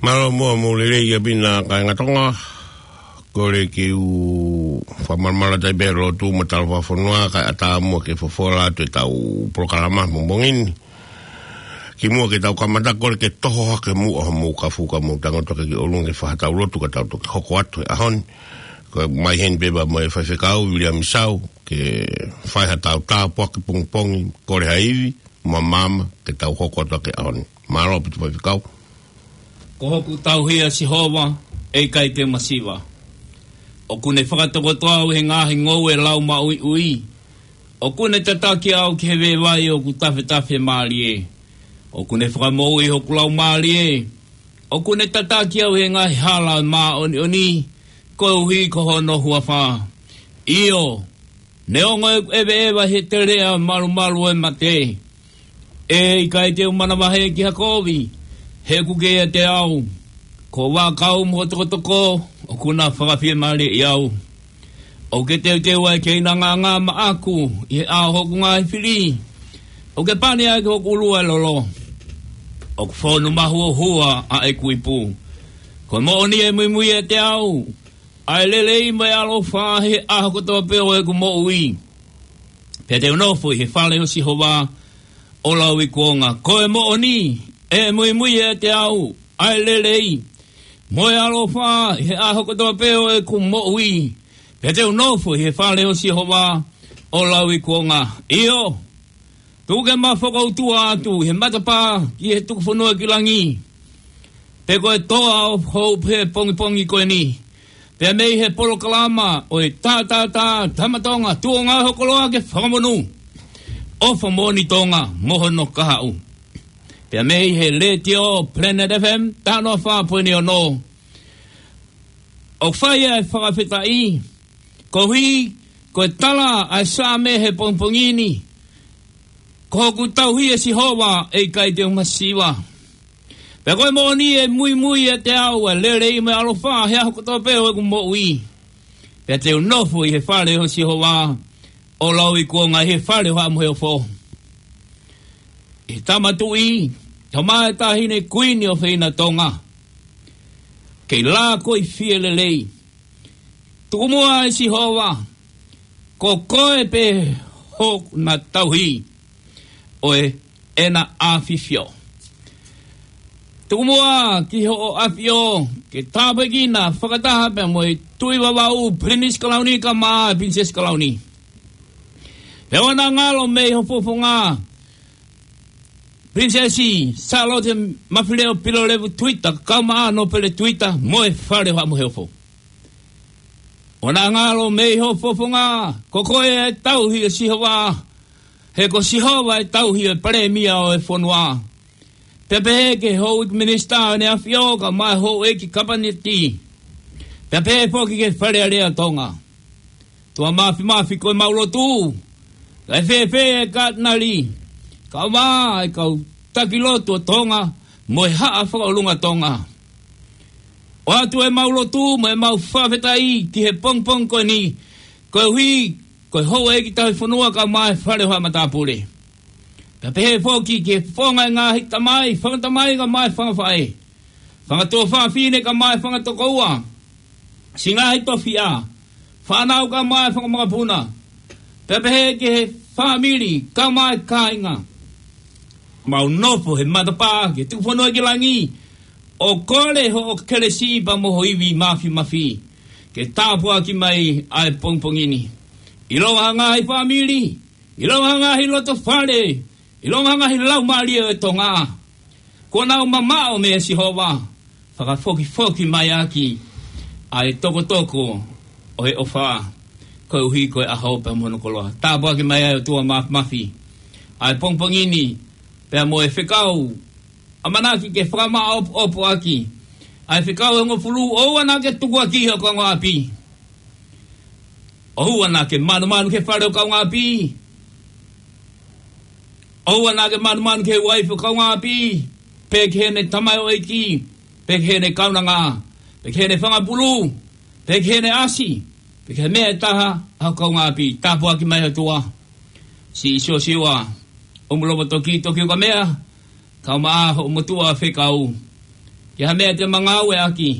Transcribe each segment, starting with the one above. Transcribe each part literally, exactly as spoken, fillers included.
Mālō muʻa mo e lelei ʻaupito kāinga Tonga. Kole ke u fakamalumalu atu pē he lotu mo e talofa fakafonua kae ʻatā muʻa ke fofola atu ʻetau polokalama he pongipongi ni. Kimuʻa ke tau kamata, kole ke toho hake muʻa homou kafu ka mou tango toke ki ʻolunga ke fai haʻatau lotu ka tau toki hoko atu he ʻaho ni. Ko e mai heni pē pea mo e faifekau Viliami Sau ke fai haʻatau tāpuaki pongipongi, kole ha ivi mo e maama ke tau hoko atu ʻaki he ʻaho ni. Mālō ʻaupito faifekau. Ko hoku tauhi ʻa Sihova, ʻe ʻikai te u masiva. ʻOku ne fakatokoto au he ngaahi ngoue laumaʻuiʻui. ʻOku ne tataki au ki he veivai ʻoku tafetafe mālie. ʻOku ne fakamoʻui hoku laumālie. ʻOku ne tataki au he ngaahi hala ʻo e māʻoniʻoni, koeʻuhi ko hono huafa. ʻIo, neongo ʻeku ʻeveʻeva he teleʻa malumalu ʻo e mate, ʻe ʻikai te u manavahē ki ha kovi, he ʻoku ke ʻiate au. Ko hoʻo vaʻakau mo hoʻo tokotoko ʻoku na fakafiemālieʻi au. ʻOku ke teuteu ʻa e keina ngāngā maʻaku ʻi he ʻao ʻo hoku ngaahi fili. ʻOku ke pani ʻaki hoku ʻulu ʻa e lolo. ʻOku fonu mahuohua ʻa ʻeku ipu. Ko e moʻoni ʻe muimui ʻiate au ʻa e lelei mo e ʻaloʻofa he ʻaho kotoa pē ʻo ʻeku moʻui. Pea te u nofo ʻi he fale ʻo Sihova ʻo lauikuonga. Ko e moʻoni ʻe muimui ʻiate au ʻa e lelei mo e ʻaloʻofa he ʻaho kotoa pē ʻo ʻeku moʻui. Pea te u nofo ʻi he fale ʻo Sihova ʻo lauikuonga. ʻIo, tuku ke ma fakautua atu he matapā ki he tuku fonua ki langi. Pe ko e toa ʻo hou pē he pongipongi ko eni. Pea mei he polokalama ʻo e Tātātā Tama Tonga, tuʻunga ho koloa ke fakamonū. ʻOfa moʻoni Tonga mo hono kahaʻu. Pea mei he letiō Planet F M, taha noa fā poini ono. ʻOku fai ʻa e fakafetaʻi, koeʻuhi ko e tala ʻa e Saame he pongipongi ni. Ko hoku tauhi ʻa Sihova, ʻe ʻikai te u masiva. Pea ko e moʻoni ʻe muimui ʻiate au ʻa e lelei mo e ʻaloʻofa he ʻaho kotoa pē ʻo ʻeku moʻui. Pea te u nofo ʻi he fale ʻo Sihova ʻo lauikuonga, ʻi he fale ʻo Haʻa Moheofo. ʻI he Tama Tuʻi, Tama ʻo e Taʻahine Kuini ʻofeina Tonga. Kei lākoifie lelei. Tuku muʻa ʻe Sihova, ko koe pē hoku na tauhi ʻo e ʻEna ʻAfifio. Tuku muʻa ki hoʻo ʻafio ke tāpuekina fakataha pea mo e Tuʻi Vavaʻu, Pilinisi Kalauni kae ʻumaʻā Pilinisesi Kalauni. Pea ʻoua naʻa ngalo mei ho fofonga Pilinisesi Sālote Mafileʻo Pilolevu Tuita, kae ʻumaʻā Nōpele Tuita mo e fale ʻo Haʻa Moheofo. ʻOua naʻa ngalo mei ho fofonga, ko koe ʻa e tauhi ʻo Sihova, he ko Sihova ʻa e tauhi ʻo e Palēmia ʻo e fonua. Pea pehē ki he houʻeiki minisitā ʻo ʻEne ʻAfio kae ʻumaʻā e houʻeiki kapineti. Pea pehē foki ki he Fale Alea ʻo Tonga. ʻOtua Māfimafi, ko ʻemau lotu, kae fēfē ʻa e Katinali, kae ʻumaʻā e kau taki lotu ʻo Tonga mo e Haʻa Fakaʻolunga ʻo Tonga. ʻOatu ʻemau lotu mo ʻemau fakafetaʻi ki he pongipongi ko eni, koeʻuhi ko e houʻeiki tauhi fonua kae ʻumaʻā e Fale ʻo Haʻa Matāpule. Pea pehē foki ki he fofonga ʻo e ngaahi tamai, fanga tamai kae ʻumaʻā e fanga faʻē, fanga tuofāfine kae ʻumaʻā e fanga tokoua, siʻi ngaahi tofiʻa, fānau kae ʻumaʻā e fanga makapuna. Pea pehē ki he fāmili kae ʻumaʻā e kāinga. Mau nofo he matapā ki he tuku fonua ki langi, ʻo kole hoʻo kelesi pea mo ho ivi māfimafi ke tāpuaki mai ʻa e pongipongi ni. ʻIlonga ha ngaahi fāmili, ʻilonga ha ngaahi loto fale, ʻilonga ha ngaahi laumālie ʻo e Tonga kuo nau mamaʻo meia Sihova, fakafokifoki mai ʻaki ʻa e tokotoko ʻo e ʻofa, koeʻuhi ko e ʻaho pea mo hono koloa. Tāpuaki mai ʻe ʻOtua Māfimafi ʻa e pongipongi ni, pea mo e fekau ʻamanaki ke fakamaʻopoʻopo ʻaki ʻa e fekau ʻe hongofulu: ʻOua naʻa ke tukuakiʻi ho kaungāʻapi. ʻOua naʻa ke manumanu ki he fale ʻo e kaungāʻapi. ʻOua naʻa ke manumanu ki he uaifi ʻo e kaungāʻapi, pe ki heʻene tamaioʻeiki, pe ki heʻene kaunanga, pe ki heʻene fanga pulu, pe ki heʻene ʻasi, pe ki he meʻa ʻe taha ʻa ho kaungāʻapi. Tāpuaki mai ʻe ʻOtua siʻi Siosiua ʻUmulovo Toki, Toki Ukamea, kae ʻumaʻā hoʻo motuʻa fekau. Ki ha meʻa te ma ngāueʻaki,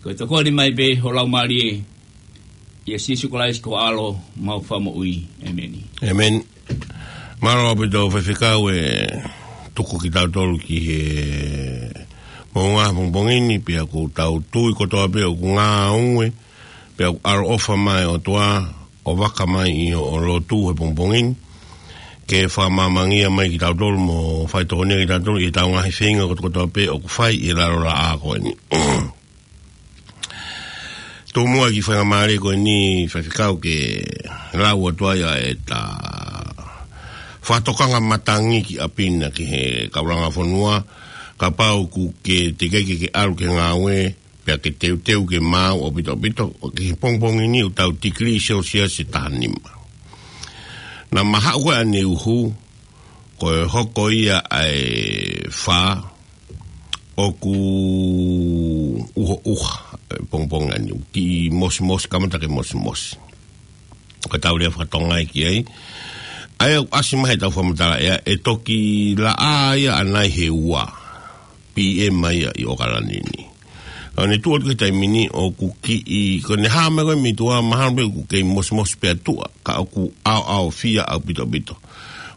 ko e tokoni mai pē ho Laumālie, ʻia Sīsū Kalaisi ko ho ʻAlo mo e Fakamoʻui. ʻĒmeni. ʻĒmeni. Mālō ʻaupito Faifekau e tuku kitautolu ki he moʻunga he pongipongi ni, pea ʻoku tau tui kotoa pē ʻoku ngāue, pea ʻoku ʻaloʻofa mai ʻOtua, ʻo vaka mai ʻi hoʻo lotu he pongipongi ni, ke fakamāmangia mai kitautolu mo fai tokoni kitautolu ʻi heʻetau ngaahi feinga kotokotoa pē ʻoku fai ʻi he lalo laʻā ko eni. Tōmuʻa ki he faingamālie ko eni Faifekau ke lau atu ai ʻa ʻeta fakatokanga matangi ki ʻapi na ki he kaulanga fonua, kapau ʻoku ke teʻeki ke ke ʻalu ki he ngāue, pea ke teuteu ke maau ʻaupito ʻaupito, ʻo ki he pongipongi ni ʻoku tau tikilī Celsius ʻe taha nima. Naʻa ma haʻu ko ē ʻaneuhu, ko e hoko ia ʻa e fā, ʻoku ʻuhoʻuha, e pongipongi ʻaneuhu, kiʻi mosimosi, kamata ke mosimosi. Ko ʻetau lea faka-Tonga ia ki ai. ʻA ia ʻoku ʻasi mai heʻetau fakamatala ʻea, ʻe toki laʻā ia ʻanai he ua P M ia ʻi ʻOkalani ni. ʻA ia ne tuʻu atu ki he taimi ni ʻoku kiʻi, ko ʻene hā mai ko ē mei tuʻa mahalo pē ʻoku kei mosimosi pē ʻa tuʻa, ka ʻoku ʻaoʻaofia ʻaupito ʻaupito.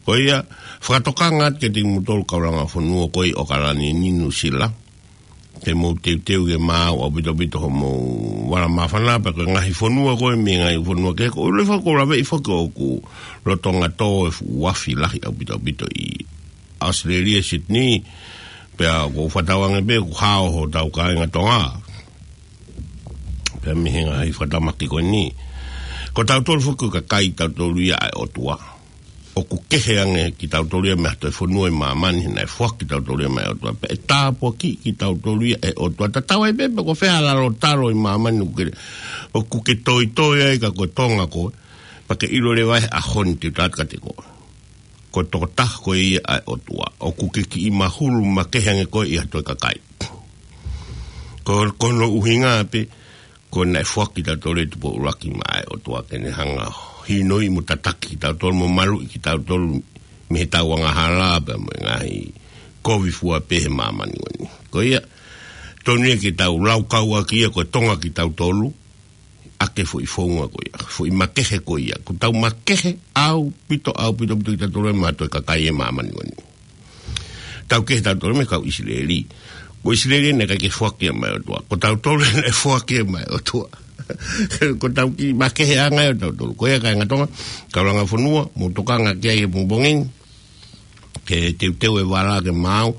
Ko ia, fakatokanga atu kiate kimoutolu kaulanga fonua ko ē ʻi ʻOkalani ni Nuʻusila, ke mou teuteu ke maau ʻaupito ʻaupito homou vala māfana, pea ko e ngaahi fonua ko ē mei he ngaahi fonua kehe, ko e ʻuluaki foki ʻoku ou laveʻi foki ʻoku lolotonga tō e fuʻu afi lahi ʻaupito ʻaupito ʻi ʻAositelēlia, Sydney, pea ʻoku ou fakatauange pē ʻoku hao hotau kāinga Tonga pea mei he ngaahi fakatamaki ko eni. Ko tautolu foki ko e kakai tautolu ia ʻa e ʻOtua. ʻOku kehe ange kitautolu ia mei ha toe fonua ʻi māmani, he naʻe foaki kitautolu ia mei he ʻOtua. Pea ʻe tāpuakiʻi kitautolu ia ʻe he ʻOtua. Tatau ai pē pe ko fē ha lalo talo ʻi māmani ʻoku ke, ʻoku ke toitoi ai ka ko Tonga koe, pea ke ʻilo leva he ʻaho ni te u tala atu kiate koe, ko e tokotaha koe ia ʻa e ʻOtua. ʻOku ke kiʻi mahulu makehe ange koe ʻi ha toe kakai. Ko, ko hono ʻuhinga pē, ko e naʻe foaki kitautolu ʻe Tupou ʻUluaki maʻa e ʻOtua ke ne hanga ʻo hinoʻi mo tataki kitautolu mo maluʻi kitautolu mei heʻetau angahala pea mo e ngaahi kovi fua pē he māmani ko eni. Ko ia, tonu ia ke tau laukau ʻaki ia ko e Tonga kitautolu, ʻaki e foʻi founga ko ia, foʻi makehe ko ia. Ko ʻetau makehe ʻaupito, ʻaupito, ʻaupito kitautolu mei ha toe kakai he māmani ko eni. Tau kehe tautolu mei he kau ʻIsileli. Ko ʻIsileli naʻe ʻikai ke foaki ia maʻa e ʻOtua. Ko tautolu naʻe foaki ia maʻa e ʻOtua. Ko ʻetau kiʻi makeheʻanga ia ʻo tautolu. Ko ia kāinga Tonga, kaulanga fonua, mou tokanga ki ai he pongipongi ni, ke teuteu e vala ke maau.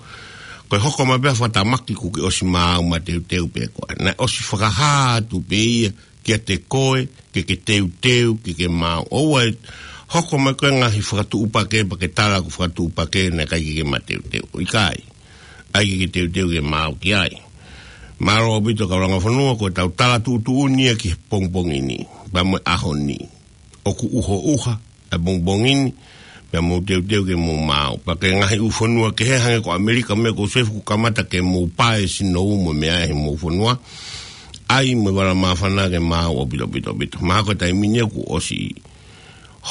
Ko e hoko mai pē ha fakatamaki kuo ke ʻosi maau mo teuteu pē koe. Naʻe ʻosi fakahā atu pē ia kiate koe, ke ke teuteu, ke ke maau. ʻOua ʻe hoko mai ko e ngaahi fakatuʻupakē, pea ke tala ko e fakatuʻupakē naʻe ʻikai ke ke mateuteu. ʻIkai. ʻAi ke ke teuteu ke maau ki ai. Mālō ʻaupito kaulanga fonua, ko ʻetau tala tuʻutuʻuni ia ki he pongipongi ni. Pea mo e ʻaho ni. ʻOku ʻuhoʻuha e pongipongi ni, pea mou teuteu ke mou maau. Pea ki he ngaahi ʻū fonua kehe hangē ko ʻAmelika mo e ko Sefu, kuo kamata ke mou pae sinou mo e meʻa ʻi homou fonua. ʻAi mo e vala māfana ke maau ʻaupito, ʻaupito, ʻaupito. Mahalo ko e taimi ni ia kuo ʻosi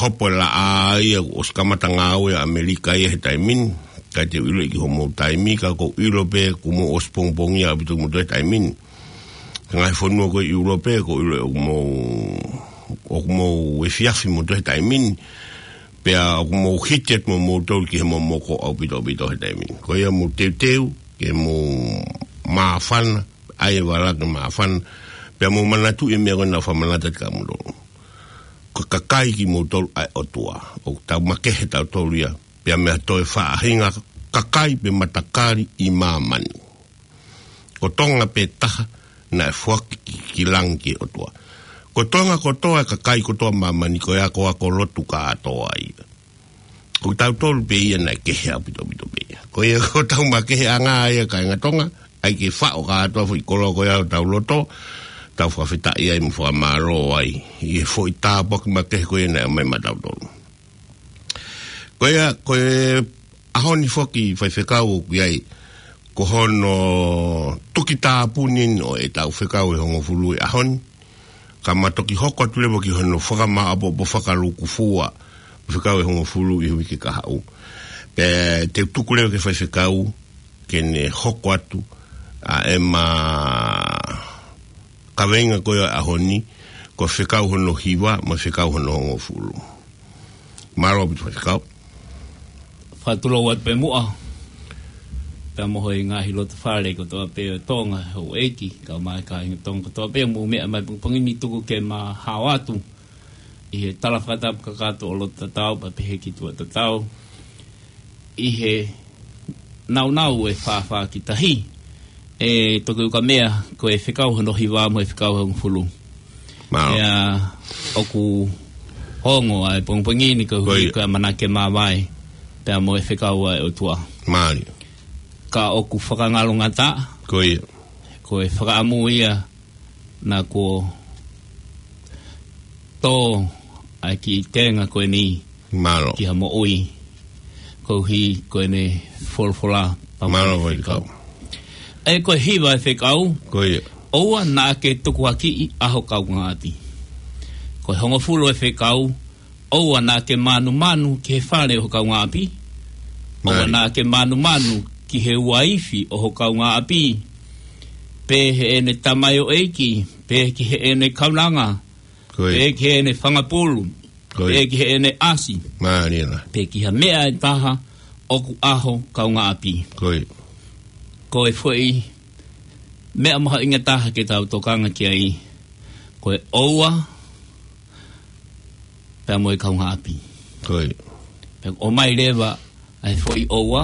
hopo e laʻā ia, kuo ʻosi kamata ngāue ʻa ʻAmelika ia he taimi ni. ʻIkai te u ʻiloʻi ki homou taimi, ka ʻoku ou ʻilo pē kuo mou ʻosi pongipongia ʻaupito kimoutolu he taimi ni. Ngaahi fonua ko ē ʻi ʻIulope, ʻoku ou ʻilo ʻoku mou, ʻoku mou efiafi moutolu he taimi ni. Pea ʻoku mou hiki atu mo moutolu ki he momoko ʻaupito, ʻaupito he taimi ni. Ko ia mou teuteu, ke mou māfana, ʻai e vala ke māfana. Pea mou manatuʻi e meʻa ko ē naʻa ku fakamanatu atu kia moutolu. Ko e kakai kimoutolu ʻa e ʻOtua. ʻOku tau makehe tautolu ia. Pea mei ha toe faʻahinga kakai pe matakali ʻi māmani. Ko Tonga pē taha naʻe foaki ki, ki langi ki he ʻOtua. Ko Tonga kotoa, e kakai kotoa māmani ko e akoako lotu kātoa ia. Ko tautolu pē ia naʻe kehe ʻaupito, ʻaupito pē ia. Ko ia ko ʻetau makeheʻanga ia kāinga Tonga, ʻai ke faʻo kātoa foʻi koloa ko ia ʻo tau loto, tau fakafetaʻi ai mo fakamālō ai. ʻI he foʻi tāpuaki makehe ko ia naʻe ʻomai maʻa tautolu. Ko ia, ko e ʻaho ni foki Faifekau ʻoku ʻi ai, ko hono tuki tāpuni ʻo ʻetau fekau ʻe hongofulu ʻi he ʻaho ni. Ka ma toki hoko atu leva ki hono fakamāʻopoʻopo fakalūkufua, fekau ʻe hongofulu ʻi he uike kahaʻu. Pea te u tuku leva ki he Faifekau, ke ne hoko atu, ʻa ʻema kaveinga ko ia ʻo e ʻaho ni, ko e fekau hono hiva mo e fekau hono hongofulu. Mālō ʻaupito faifekau. Fakatulou atu pē muʻa pea mo e ngaahi loto fale kotoa pē ʻo Tonga, houʻeiki, kae ʻumaʻā e kāinga Tonga kotoa pē, mou meʻa mai pongipongi ni, tuku ke ma hao atu ʻi he tala fakatapu kakato ʻo loto tatau, pea pehē ki tuʻa tatau, ʻi he naunau e fāfā ki tahi, ʻe Toki Ukamea, ko e fekau hono hiva mo e fekau hongofulu. Mālō. Pea ʻoku ongo ʻa e pongipongi ni koeʻuhi ko e ʻamanaki ke māvae pea mo e fekau ʻa e ʻOtua. Mālie. Ka ʻoku fakangalongataʻa, ko e fakaʻamu ia naʻa kuo tō ʻa e kiʻi tenga ko eni ki ha moʻui, koeʻuhi ko ʻene folofola pea mo ʻene fekau. ʻE ko e hiva e fekau, ʻoua naʻa ke tukuakiʻi ʻa ho kaungāʻapi. Ko e hongofulu e fekau, ʻoua naʻa ke mānumanu ki he fale ʻo ho kaungāʻapi. ʻOua naʻa ke mānumanu ki he uaifi ʻo ho kaungāʻapi, pe heʻene tamaioʻeiki, pe ki heʻene kaunanga, pe ki heʻene fanga pulu, pe ki heʻene ʻasi, pe ki ha meʻa ʻe taha ʻoku ʻa ho kaungāʻapi. Ko e foʻi meʻa mahuʻinga taha ke tau tokanga ki ai, ko e ʻoua pea mo e kaungāʻapi. Pea ʻomai leva ʻa e foʻi ʻoua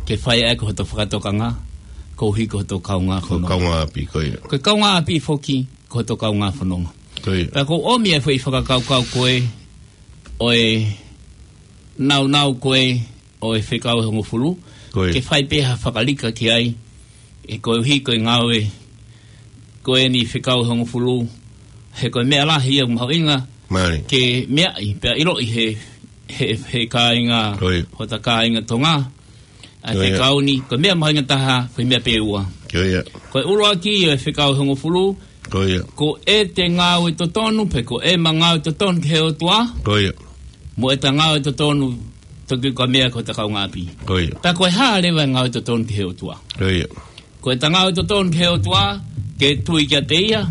ke fai ʻaki hoto fakatokanga koeʻuhi ko hoto kaungā fononga. Ko e kaungāʻapi foki ko hoto kaungā fononga. Pea ʻoku ou ʻomi ʻa e foʻi fakakaukau ko ē ʻo e naunau ko ē ʻo e fekau ʻe hongofulu, ke fai pē ha fakalika ki ai, ʻe koeʻuhi ko e ngāue ko eni fekau ʻe hongofulu, he ko e meʻa lahi ia ʻoku mahuʻinga ke meaʻi pea ʻiloʻi he, he, he kāinga, hota kāinga Tonga. ʻA e fekau ni, ko e meʻa mahuʻinga taha, ko e meʻa pē ʻe ua. Ko e ʻuluaki ʻo e fekau ʻe hongofulu, ko ʻete ngāue totonu, pe ko ʻema ngāue totonu ki he ʻOtua, mo ʻeta ngāue totonu, Toki Ukamea, ko hota kaungāʻapi. Pea ko e hā leva e ngāue totonu ki he ʻOtua? Ko ʻeta ngāue totonu ki he ʻOtua, ke tui kiate ia,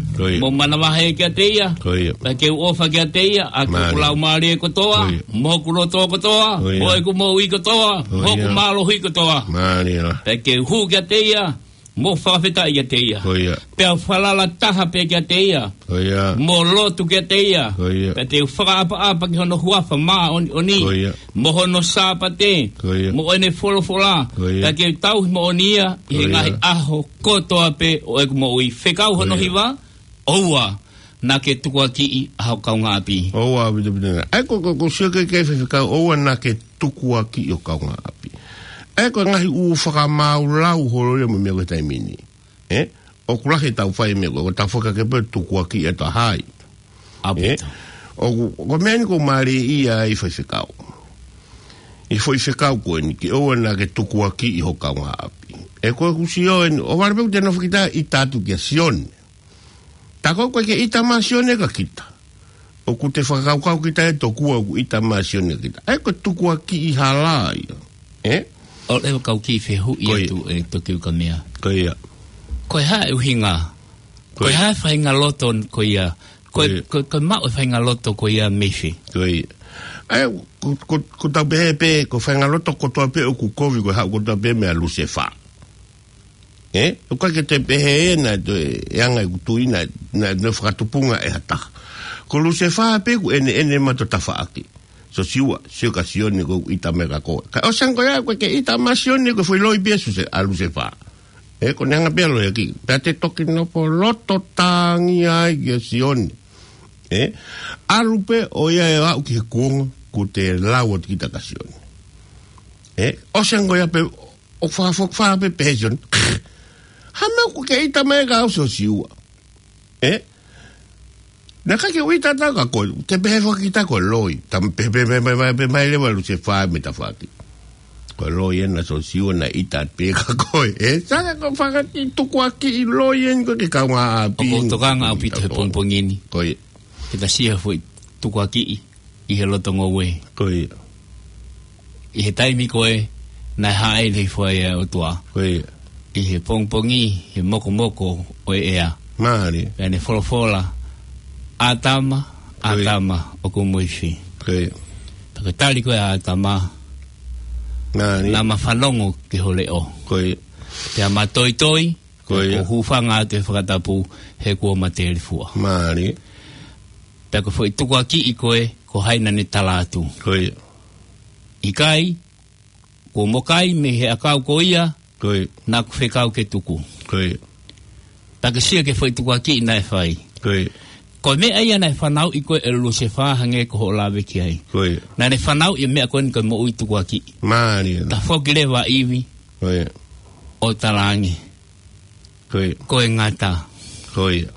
mo manavahē kiate ia, pea ke u ʻofa kiate ia ʻaki hoku laumālie kotoa, mo hoku loto kotoa, mo ʻeku moʻui kotoa, mo hoku mālohi kotoa. Pea ke u hū kiate ia, mo fakafetaʻi kiate ia. Pea u falala taha pē kiate ia, mo lotu kiate ia. Pea te u fakaʻapaʻapa ki hono huafa māʻoniʻoni, mo hono Sāpate, mo ʻene folofola. Pea ke u tauhi moʻoni ia ʻi he ngaahi ʻaho kotoa pē ʻo ʻeku moʻui. Fekau hono hiva, ʻoua naʻa ke tukuakiʻi ʻa ho kaungāʻapi. ʻOua, ʻaupito, ʻaupito. ʻA ia ko, ko, ko e sio ki he, ki he faifekau, ʻoua naʻa ke tukuakiʻi ho kaungāʻapi. ʻA ia ko e ngaahi ʻū fakamaau lau holo ia mo e meʻa ko e taimi ni. ʻE? ʻOku lahi ʻetau fai e meʻa ko ē, ʻoku tau fakake pē tukuakiʻi ʻa e taha ia. ʻE? ʻOku, ko e meʻa eni ʻoku mālie ia ʻi he faifekau. ʻI he foʻi fekau ko eni ke ʻoua naʻa ke tukuakiʻi ho kaungāʻapi. ʻE ko e kusi ʻo eni, ʻo vale pē ʻoku te nofo kita ʻita atu kia Sione. Tā ko ē ʻoku ʻikai ke ʻita mai ʻa Sione kia kita. ʻOku te fakakaukau kita ʻe tokua ʻoku ʻita mai ʻa Sione kia kita. ʻA ia ko e tukuakiʻi hala ia. ʻE? ʻOku ou kau kiʻi fehuʻi atu ʻe Toki Ukamea. Ko ia. Ko e hā e ʻuhinga? Ko e hā e faʻahinga loto ko ia? Ko e, ko e, ko e maʻu e faʻahinga loto ko ia mei fē? Ko ia. ʻA ia, ko, ko, ko ʻetau pehē pē, ko e faʻahinga loto kotoa pē ʻoku kovi ko e haʻu kotoa pē meia Lusefā. ʻE? ʻOku ʻikai ke te pehē ʻe naʻe toe, ʻe anga ʻeku tui naʻe, naʻe, naʻe fakatupunga ʻe ha taha. Ko Lusefā pē ʻoku ʻeneʻene mai hoto tafaʻaki. Sosiua, sio kia Sione ʻoku ʻita mai kia koe. Ka ʻosi ange ko ia, ʻoku ʻikai ke ʻita mai ʻa Sione, ko e foʻi loi pē ʻa Suse-, ʻa Lusefā. ʻE, ko ʻene anga pē ʻa e loi ʻaki. Pea te toki nofo loto tangi ai kia Sione. ʻE, ʻalu pē ʻo ia ʻo aʻu ki he kuonga, kuo te lau atu kita kia Sione. ʻE, ʻosi ange ko ia pē, ʻo fakafokifā pē pehē ʻe Sione. Hā e meʻa ʻoku ke ʻita mai kia au Sosiua? ʻE? Naʻe ʻikai ke u ʻita atu kia koe, te pehē foki kita ko e loi. Tama pehē, pehē, pehē, pehē, pehē, pehē mai leva ʻa Lusefā mei tafaʻaki. Ko e loi ena Sosiua naʻe ʻita pē kia koe. ʻE? Sai, ko e fakaʻi tukuakiʻi loi eni ko e kaungāʻapi. ʻOku ou tokanga ʻaupito he pongipongi ni. Ko ia. Ke ta sio he foʻi tukuakiʻi ʻi he loto ngoue. Ko ia. ʻI he taimi ko ē naʻe hāʻele hifo ai ʻa e ʻOtua. Ko ia. ʻi he pongipongi, he mokomoko ʻo e ʻea. Mālie. Pea ne folofola, "ʻĀtama, ʻĀtama, ʻoku mo ifi." Ko ia. Pea ko e tali ko ē ʻa ʻĀtama, Mālie. "Naʻa ma fanongo ki ho leʻo." Ko ia. "Pea ma toitoi, Ko ia. Ko hūfanga atu he fakatapu, he kuo ma telefua." Mālie. Pea ko e foʻi tukuakiʻi ko ē, ko hai naʻa ne tala atu? Ko ia. "ʻIkai, kuo mo kai mei he ʻakau ko ia, Ko ia. naʻa ku fekau ke tuku." Ko ia. Pea ke sio ki he foʻi tukuakiʻi naʻe fai. Ko ia. Ko e meʻa ia naʻe fanauʻi ko ē ʻe Lusefā hangē ko hoʻo lave ki ai. Ko ia. Naʻa ne fanauʻi e meʻa ko eni ko e moʻui tukuakiʻi. Mālie. Tafoki leva ʻa ʻIvi. Ko ia. ʻO talaange, Ko ia. "Ko e ngata." Ko ia.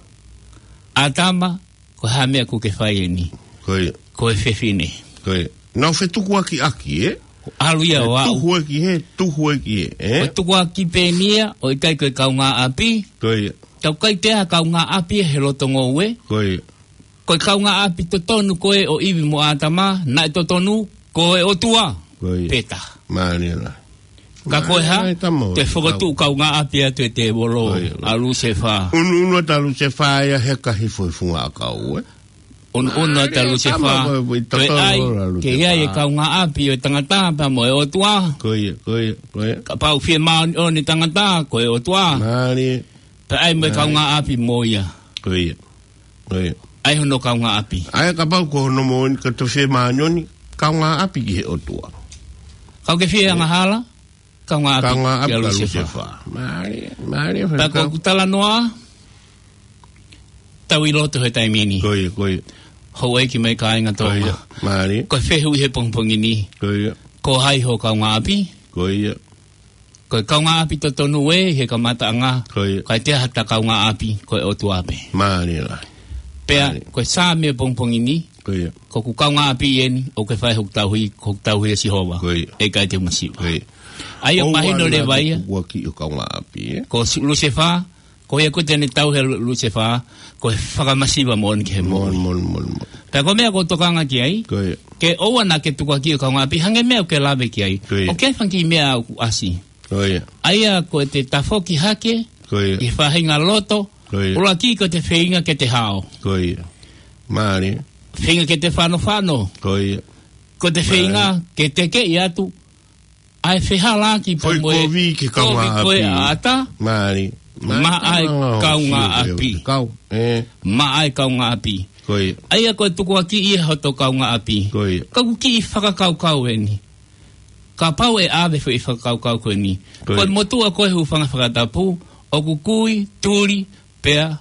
"ʻĀtama, ko e hā e meʻa ʻoku ke fai eni?" Ko ia. "Ko e fefine." Ko ia. Naʻa ku fetukuakiʻaki, ē? ʻAlu ia ʻo aʻu. Tuhu ē ki hē, tuhu ē ki hē, ē? Ko e tukuakiʻi pē eni ia, ʻo ʻikai ko e kaungāʻapi. Ko ia. Tau kai te ha kaungāʻapi he loto ngoue. Ko ia. Ko e kaungāʻapi totonu ko ē ʻo ʻIvi mo ʻĀtama, naʻe totonu, ko e ʻOtua. Ko ia. Pē taha. Mālie lahi. Ka ko e hā? Mālie, tama, te fokotuʻu kaungāʻapi atu e tēvolo, Ko ia. ʻa Lusefā. Unuunu atu ʻa Lusefā ia he ka hifo he funga ʻakau, ē? Unuunu atu ʻa Mālie, Lusefā. tama, ko e, ko e Ko e totonu ai, ʻo ke ʻi ai e Lusefā. kaungāʻapi ʻo e tangata pea mo e ʻOtua. Ko ia, ko ia, ko ia. Kapau fie māʻoniʻoni e tangata, ko e ʻOtua. Mālie. Pea ʻai mo e Mālie. kaungāʻapi mo ia. Ko ia. Ko ia. ʻAi hono kaungāʻapi. ʻAi kapau ko hono moʻoni ka toe fie māʻoniʻoni, kaungāʻapi ki he ʻOtua. Ka ke fie angahala, kaungāʻapi Kaungāʻapi kia kia Lusefā. Lusefā. Mālie, mālie, Pea ko faifekau. ʻeku talanoa, tau ʻi loto he taimi ni. Ko ia, ko ia. Houʻeiki mo e kāinga Ko ia, Tonga. mālie. Ko e fehuʻi he pongipongi ni. Ko ia. Ko hai ho kaungāʻapi? Ko ia. Ko e kaungāʻapi totonu ē he kamataʻanga. Ko ia. Ka ʻi ai ha ta kaungāʻapi, ko e ʻOtua pē. Mālie lahi. Pea, Mālie. ko e Saame pongipongi ni, Ko ia. ko ʻeku kaungāʻapi eni, ʻoku ke fai hoku tauhi, ko hoku tauhi ʻe Sihova. Ko ia. ʻE ʻikai te u masiva. Ko ia. ʻAi ʻo ʻOua mahino naʻa leva ia. tukuakiʻi ho kaungāʻapi, ē? Ko Si-, Lusefā, ko ia ko ē te ne tauhi ʻa Lu-, Lusefā, ko e fakamasiva moʻoni ki he Mon, moʻui. mon, mon, mon. Pea ko e meʻa ʻoku ou tokanga ki ai, Ko ia. ke ʻoua naʻa ke tukuakiʻi ho kaungāʻapi, hangē meʻa ʻoku ke lave ki ai. Ko ia. ʻOku ʻi ai e fanga kiʻi meʻa ʻoku ʻasi. Ko ia. ʻA ia ko e te tafoki hake, Ko ia. ʻi he faʻahinga loto, Ko ia. ʻuluaki ko e te feinga ke te hao. Ko ia. Mālie. Feinga ke te fanofano. Ko ia. Ko e te Mālie. feinga ke te keʻi atu, ʻa e fehālaaki pea Foʻi mo e kovi ki he kovi ko ē kaungāʻapi. ʻa ʻAta. Mālie. Mālie, Maʻa e tama, kaungāʻapi. Kau, ē. Maʻa e kaungāʻapi. Ko ia. ʻA ia ko e tukuakiʻi ʻa hoto kaungāʻapi. Ko ia. Ka ʻoku kiʻi fakakaukau eni. Kapau ʻe ʻave foʻi fakakaukau ko eni. Ko Ko e ia. motuʻa ko ē hūfanga he fakatapu, ʻoku kui, tuli, pea,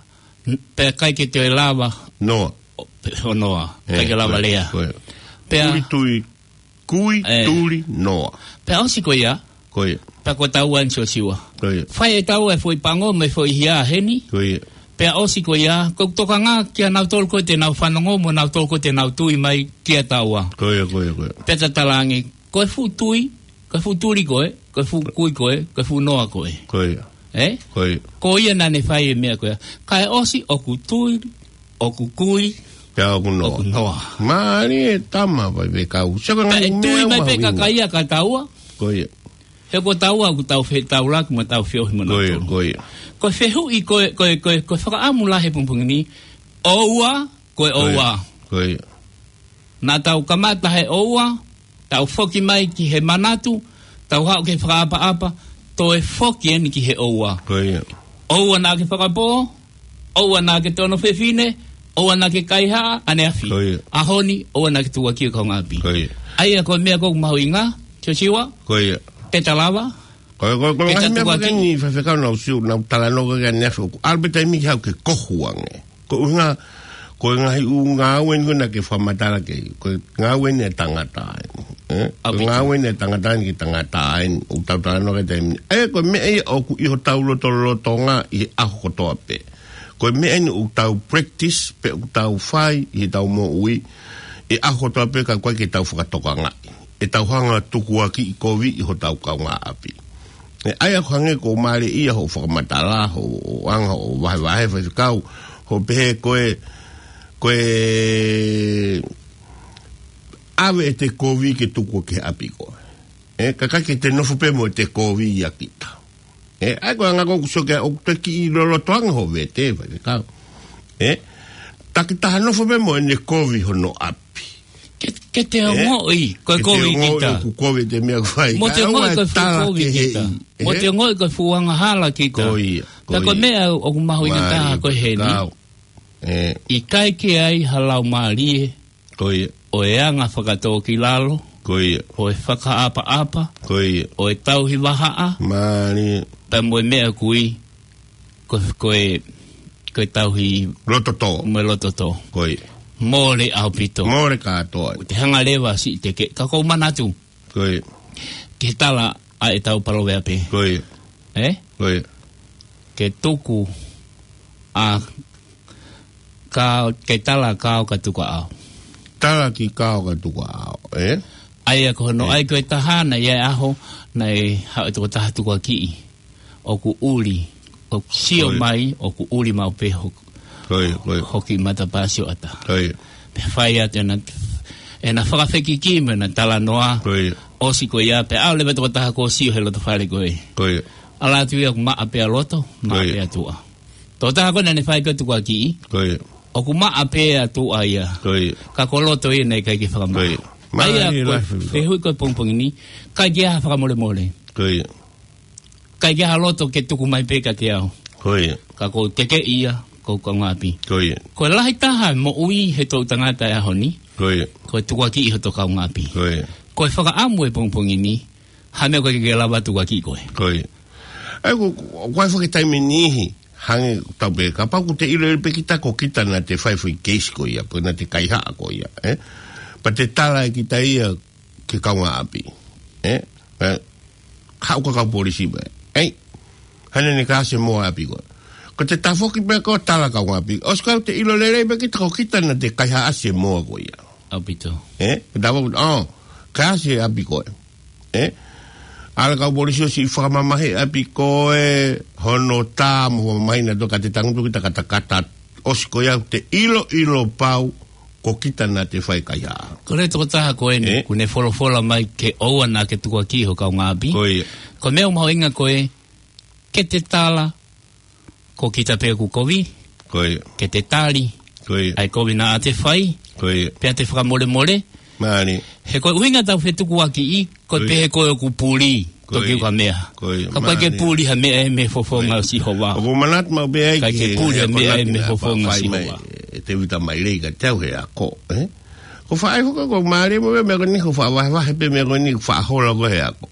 pea ʻikai ke toe lava. Noa. ʻO, pe-, ʻo noa. ʻIkai Ē, ke lava ko ia, lea. ko ia. Pea Tuli, tuli, Kui, Ē. tuli, noa. Pea ʻosi ko ia. Ko ia. Pea ko taua eni Siosiua. Ko ia. Fai ʻe taua e foʻi pango mo e foʻi hia heni. Ko ia. Pea ʻosi ko ia, ko e tokanga kia nautolu ko ē te nau fanongo mo nautolu ko ē te nau tui mai kia taua. Ko ia, ko ia, ko ia. Pea ta talaange, ko e fuʻu tui, ko e fuʻu tuli ko ē, ko e fuʻu kui ko ē, ko e fuʻu noa ko ē. Ko ia. Ē? Ko ia. Ko ia naʻa ne fai e meʻa ko ia. Kae ʻosi ʻoku tui, ʻoku kui, Pea ʻoku noa. ʻoku noa. Mālie e tama faifekau. Sio ka Pea ngaahi ʻe tui meʻa mai pē mahuʻinga. kakaia ka taua. Ko ia. He ko taua ʻoku tau fetaulaki mo tau feohi mo Ko ia, nautolu. ko ia. Ko e fehuʻi, ko e, ko e, ko e, ko e fakaʻamu lahi he pongipongi ni. ʻOua, ko e Ko ia. ʻoua. Ko ia. Naʻa tau kamata he ʻoua, tau foki mai ki he manatu, tau haʻu ki he fakaʻapaʻapa, toe foki eni ki he ʻoua. Ko ia. ʻOua naʻa ke fakapō, ʻoua naʻa ke tono fefine, ʻoua naʻa ke kaihaʻa, ʻaneafi. Ko ia. ʻAho ni, ʻoua naʻa ke tukuakiʻi ho kaungāʻapi. Ko ia. ʻA ia ko e meʻa ʻoku mahuʻinga, Siosiua, Ko ia. te ta lava, Ko e, ko e, ko e Pea ngaahi ta meʻa tukuakiʻi. Ko eni faifekau naʻa ku sio, naʻa ku talanoa ki ai ʻaneafi ʻoku ʻalu pē taimi ke haʻu ke kohu ange. Ko e ʻuhinga, ko e ngaahi ʻū ngāue eni ko ē naʻa ke fakamatala ki ai. Ko e ngāue eni ʻa e tangata eni. Ē? Ko e ʻAupito. ngāue eni ʻa e tangata eni ki he tangata eni. ʻOku tau talanoa ki ai taimi ni. Ē, ko e meʻa ia ʻoku ʻi hotau lotolotonga ʻi he ʻaho kotoa pē. Ko e meʻa eni ʻoku tau practice, pe ʻoku tau fai, ʻi heʻetau moʻui, ʻi he ʻaho kotoa pē ka ʻoku ʻikai ke tau fakatokangaʻi. ʻEtau hanga tukuakiʻi kovi ʻi hotau kaungāʻapi. Ē, ʻa ia ʻoku hangē ko e mālie ia hoʻo fakamatala, hoʻo, hoʻo anga, hoʻo vahevahe faifekau, hoʻo pehē ko e, ko e ʻave ʻete kovi ke tuku ki he ʻapi ko ē. Ē, kae ʻikai ke te nofo pē mo ʻete kovi ʻia kita. Ē, ʻa ia ko e anga ko ē ʻoku sio ki ai ʻoku te kiʻi loloto ange ho vete, faifekau. Ē, takitaha nofo pē mo ʻene kovi hono ʻapi. Ke, ke te ongoʻi, ko e kovi kita. Ke te ongoʻi ʻoku kovi ʻete meʻa ʻoku fai. Mo te ongoʻi ko e fuʻu kovi kita. Mo te ongoʻi ko e fuʻu angahala kita. Ko ia, ko ia. Ka ko e meʻa ʻoku mahuʻinga taha ko eni. ʻIkai ke ʻi ai ha laumālie. Ko ia. ʻO e anga fakatōkilalo. Ko ia. ʻO e fakaʻapaʻapa. Ko ia. ʻO e tauhi vahaʻa. Pea mo e meʻa kui. Ko, ko e, ko e tauhi. Loto tō. Mo e loto tō. Ko ia. Mole ʻaupito. Mole kātoa. Te hanga leva siʻi te ke, ka kou manatu. Ko ia. Ke tala ʻa e tau paloveape. Ko ia. Ē? Ko ia. Ke tuku ʻa ka, ke tala kao ka tuku ʻa ʻao. Tala ki kao ka tuku ʻa ʻao, ē? ʻA ia ko hono ʻai ko e taha naʻe ʻi ai e ʻaho, naʻe haʻu e tokotaha tukuakiʻi. ʻOku ʻuli, ʻoku sio mai, ʻoku ʻuli maʻu pē ho-, hoki matapā sioʻata. Pea fai atu ʻena, ʻena fakafekiki mo ʻena talanoa. ʻOsi ko ia, pea ʻalu leva e tokotaha ko ē ʻo sio he loto fale ko ē. ʻAlu atu ia ʻoku maʻa pē ʻa loto, maʻa pē ʻa tuʻa. Tokotaha ko ē naʻa ne fai ko e tukuakiʻi. ʻOku maʻa pē ʻa tuʻa ia. Ka ko loto ia naʻe ʻikai ke fakamaʻa. ʻA ia ko e fehuʻi ko e pongipongi ni, ʻikai ke ʻi ai ha fakamolemole. ʻIkai ke ʻi ai ha loto ke tuku mai pē kiate au. Ka kou tekeʻi ia, ko e kaungāʻapi. Ko e lahi taha e moʻui he toʻutangata e ʻaho ni. Ko e tukuakiʻi hoto kaungāʻapi. Ko e fakaʻamu e pongipongi ni, ha meʻa ʻoku ʻikai ke lava tukuakiʻi koe. Ko e. ʻA ia ko, ko e fakataimi niʻihi, hangē tau pē, kapau ʻoku te ʻilo pē kita ko kita naʻa te fai foʻi keisi ko ia, ko naʻa te kaihaʻa ko ia, ē? Pea te tala ʻe kita ia ki he kaungāʻapi, ē? Ē, haʻu ka kau polisi pē. ʻEi, hane ne ka ʻasi e moa ʻapi ko ē. Ko te tafoki pē ko e tala kaungāʻapi. ʻOsi ko ē te ʻilo lelei pē kita ko kita naʻa te kaihaʻasi e moa ko ia. ʻAupito. Ē? Ko te tafoki, ʻo, ka ʻasi e ʻapi ko ē. Ē? ʻAlu e kau polisi ʻo siʻi fakamamahiʻi e ʻapi ko ē, hono tā mo fakamamahiʻi naʻa tō ka te tangutu kita katakata. ʻOsi ko ia te ʻiloʻilo pau ko kita naʻa te fai kaihaʻa. Ko e tokotaha ko eni, ē? ʻOku ne folofola mai ke ʻoua naʻa ke tukuakiʻi ho kaungāʻapi. Ko ia. Ko e meʻa ʻoku mahuʻinga ko e, ke te tala, ko kita pē ʻoku kovi. Ko ia. Ke te tali. Ko ia. ʻA e kovi naʻa te fai. Ko ia. Pea te fakamolemole. Mālie. He ko e ʻuhinga ʻetau fetukuakiʻi, ko e pehē ko ē ʻoku puli, toki ʻoku ʻikai meʻa. Ka ʻoku ʻikai ke puli ha meʻa ʻi he fofonga ʻo Sihova. ʻOku ou manatu maʻu pē ai ʻikai ke puli ha meʻa ʻi he fofonga ʻo Sihova. ʻE Tēvita Mailei kiate au he ako, ē? Ko e faʻa ʻai foki ko e mālie mo e meʻa ko eni, ko e faʻa vahevahe pē meʻa ko eni, ko e faʻa hola ko ē he ako.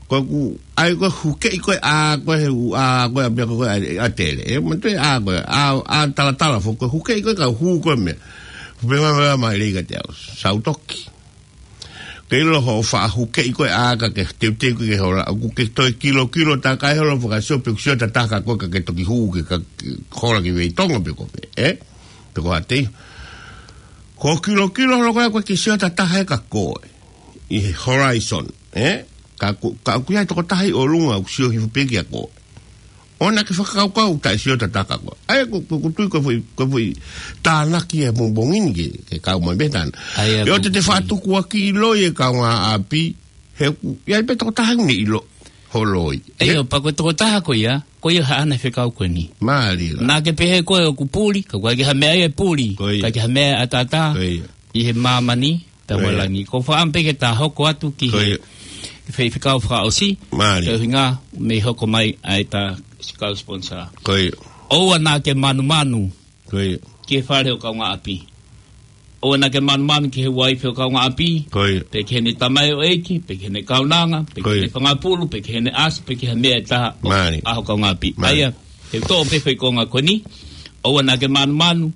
Ko ʻeku ʻai ko e hukeʻi ko ē ʻā ko ē he ʻū ʻā ko ē ʻa pea ko ē ʻa, ʻa tele, ē? Mo e ʻā ko ē, ʻā, ʻā talatala foki, ko e hukeʻi ko ē ka hū ko ē meʻa. Pehē mai Mailei kiate au, Sautoki. Ke ʻilo hoʻo faʻa hukeʻi ko ē ʻā ka ke teuteu ke hola, ʻoku ke toe kilokilo takai holo fakasio pe kusio tataka ko ē ka ke toki hū ke ka, ke hola ki Veitongo pe ko fē, ē? Pe ko Haʻateiho. Ko e kilokilo holo ko ē ʻoku ʻikai ke sio atu ha taha ia kia koe. ʻI he horizon, ē? Ka ʻoku, ka ʻoku ʻi ai e tokotaha ʻi ʻolunga ʻoku sio hifo pē kia koe. ʻOua naʻa ke fakakaukau taʻe sio tataka koe. ʻA ia ko, ko, ʻoku ou tui ko e foʻi, ko e foʻi tānaki e pongipongi ni ke, ke kau mai pē tāna. ʻA ia ʻOua te te faʻa tukuakiʻi loi e kaungāʻapi, he ʻoku ʻi ai pē tokotaha ʻoku ne ʻilo ho loi. ʻIo, pea ko e tokotaha ko ia, ko ia haʻane fekau ko eni. Mālie lā. Naʻa ke pehē koe ʻoku puli, ka ʻoku ʻikai ke ha meʻa ia ʻe puli, ʻikai ke ha meʻa ʻe ʻataʻatā ʻi he māmani, pea mo e langi. Ko e fakaʻamu pē ke ta hoko atu ki he, ki he fekau fakaʻosi, ke ʻuhinga mei hoko mai ʻa e ta kau sponsor. ʻOua naʻa ke manumanu ki he fale ʻo e kaungāʻapi. ʻOua naʻa ke manumanu ki he uaifi ʻo e kaungāʻapi. Pe ki heʻene tamaioʻeiki, pe ki heʻene kaunanga, pe ki heʻene fanga pulu, pe ki heʻene ʻasi, pe ki ha meʻa ʻe taha ʻo, ʻa ho kaungāʻapi. ʻA ia, te u toʻo pē foʻi konga ko eni. ʻOua naʻa ke manumanu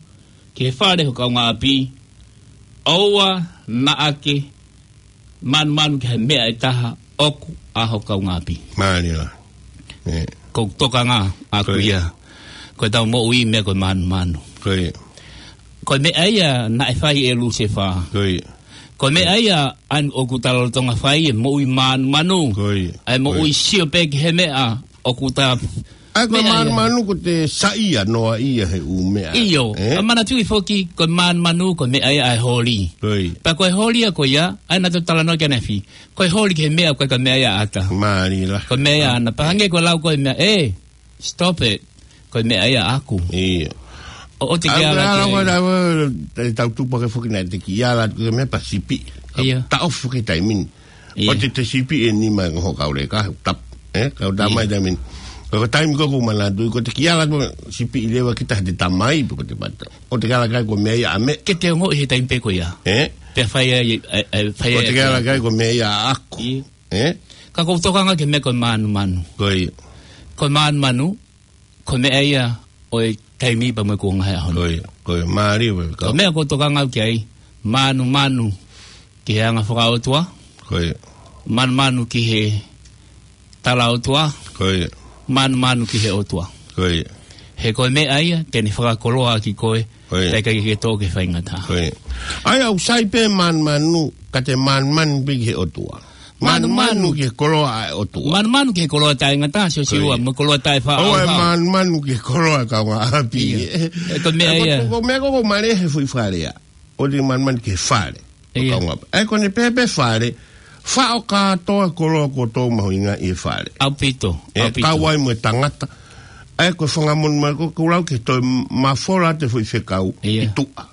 ki he fale ʻo e kaungāʻapi. ʻOua naʻa ke manumanu ki ha meʻa ʻe taha ʻoku ʻa ho kaungāʻapi. Mālie lā. Ko e tokanga ʻaku ia. Ko ʻetau moʻui meʻa ko e manumanu. Ko e meʻa ia naʻe fai ʻe Lusefā. Ko e meʻa ia ʻoku ta lolotonga fai, e moʻui manumanu. ʻA e moʻui sio pē ki he meʻa ʻoku ta ʻA ko e Meʻa ia. Manumanu ko ʻete saiʻia noaʻia he ʻū meʻa. ʻIo, ē? ʻA manatuʻi foki, ko e manumanu ko e meʻa ia ʻa e holi. Ko ia. Pea ko e holi ia ko ia, ʻa ia naʻa tau talanoa ki ai ʻanefē. Ko e holi ki he meʻa ko e ka meʻa ia ʻata. Mālie lā. Ko e meʻa ia ʻana. Pea hangē ko e lau ko e meʻa, ē, stop it. Ko e meʻa ia ʻaku. ʻIo. ʻO, ʻoua te ke ʻAlu ala ʻala ki ai. Ko e lau, ē, te tau tupu hake foki naʻe te kiʻi ala ko e meʻa pea sipi. ʻIo. Taʻofi foki taimi ni. ʻIo. ʻOua te te sipi e nima e ngoho kau leka, tap. Ē, kau tā ʻIo. mai taimi ni. Ko e taimi ko ē ʻoku ou manatuʻi, ko ʻete kiʻi ala ko e sipi ʻi leva kita he te tamai, pe ko ʻete pata. ʻOua te ke ala ki ai ko e meʻa ia ʻa meʻa. Ke te ongoʻi he taimi pē ko ia. Ē? Pea fai ai, ē, ē, fai ʻOua ai te ke ala ki ai ko e meʻa ia ʻaku. ʻIo. Ē? Ka ʻoku ou tokanga ki he meʻa ko e manumanu. Ko ia. Ko e manumanu, ko e meʻa ia ʻo e taimi pea mo e kuonga he ʻaho ni. Ko ia, ko ia, mālie, ko ia. Ko e meʻa ʻoku ou tokanga au ki ai, manumanu ki he anga fakaʻotua. Ko ia. Manumanu ki he tala ʻotua. Ko ia. Manumanu ki he ʻotua. Ko ia. He ko e meʻa ia, te ne fakakoloa ʻaki koe, Ko ia. pea ʻikai ke ke tō ki he faingataʻa. Ko ia. ʻA ia ʻoku sai pē manumanu, ka te manumanu pē ki he ʻotua. Manumanu. Manumanu ki he koloa ʻa e ʻotua. Manumanu ki he koloa taʻengata, Siosiua, Ko ia. mo e koloa taʻefaʻauha. ʻOua ʻe manumanu ki he koloa kaungāʻapi. ʻIo. Ē, ko e meʻa ʻA ia. ko, ko e meʻa ko ē ʻoku mālie he foʻi fale ia. ʻOua te manumanu ki he fale. ʻIo. Kaungāʻapi. ʻA ia ko ʻene pehē pē fale, faʻo kātoa koloa kuo tō mahuʻinga ʻi he fale. ʻAupito, Ē, ʻaupito. kau ai mo e tangata. ʻA ia ko e fanga monumanu, ko, ko e lau ke toe mafola atu e foʻi fekau ʻIo. ʻi tuʻa.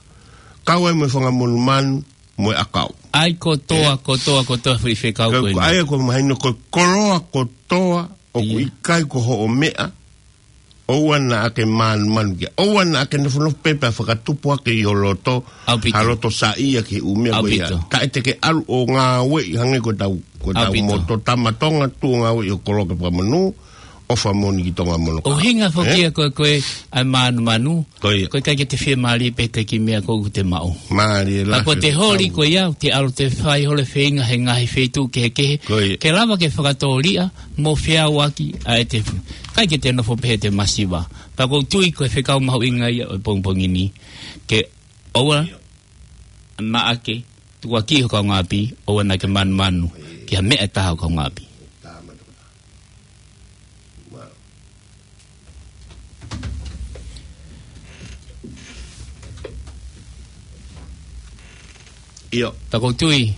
Kau ai mo e fanga monumanu, mo e ʻakau. ʻA ia kotoa, Ē. kotoa, kotoa foʻi fekau Ka, ko eni. ʻA ia ko e mahino ko e koloa kotoa ʻoku ʻIo. ʻikai ko hoʻo meʻa, ʻoua naʻa ke manumanu ki ai. ʻOua naʻa ke nofonofo pē pea fakatupu hake ʻi ho loto, ʻAupito. ha loto saiʻia ki he ʻū meʻa ko ia. ʻAupito. Kae te ke ʻalu ʻo ngāueʻi hangē ko ʻetau, ko ʻetau ʻAupito. moto tama Tonga, tuʻu ʻo ngāueʻi ho koloa ke fakamonū, ʻofa moʻoni ki Tonga mono. ʻUhinga foki Ē? ia ko e, ko e, ʻa e manumanu, Ko ia. ko e ʻikai ke te fiemālie pē he kiʻi meʻa ko ē ʻoku te maʻu. Mālie lā Ka ko e te holi fekau. ko ia, te ʻalu ʻo te fai holo e feinga he ngaahi feituʻu kehekehe. Ko ia. Ke lava ke fakatōliʻa, mo feʻauaki ʻa e te fu-. ʻIkai ke te nofo pē he te masiva. Pea ʻoku ou tui ko e fekau mahuʻinga ia ʻo e pongipongi ni. Ke ʻoua naʻa ke tukuakiʻi ho kaungāʻapi, ʻoua naʻa ke manumanu ki ha meʻa ʻe taha ho kaungāʻapi. ʻIo. Pea ʻoku ou tui.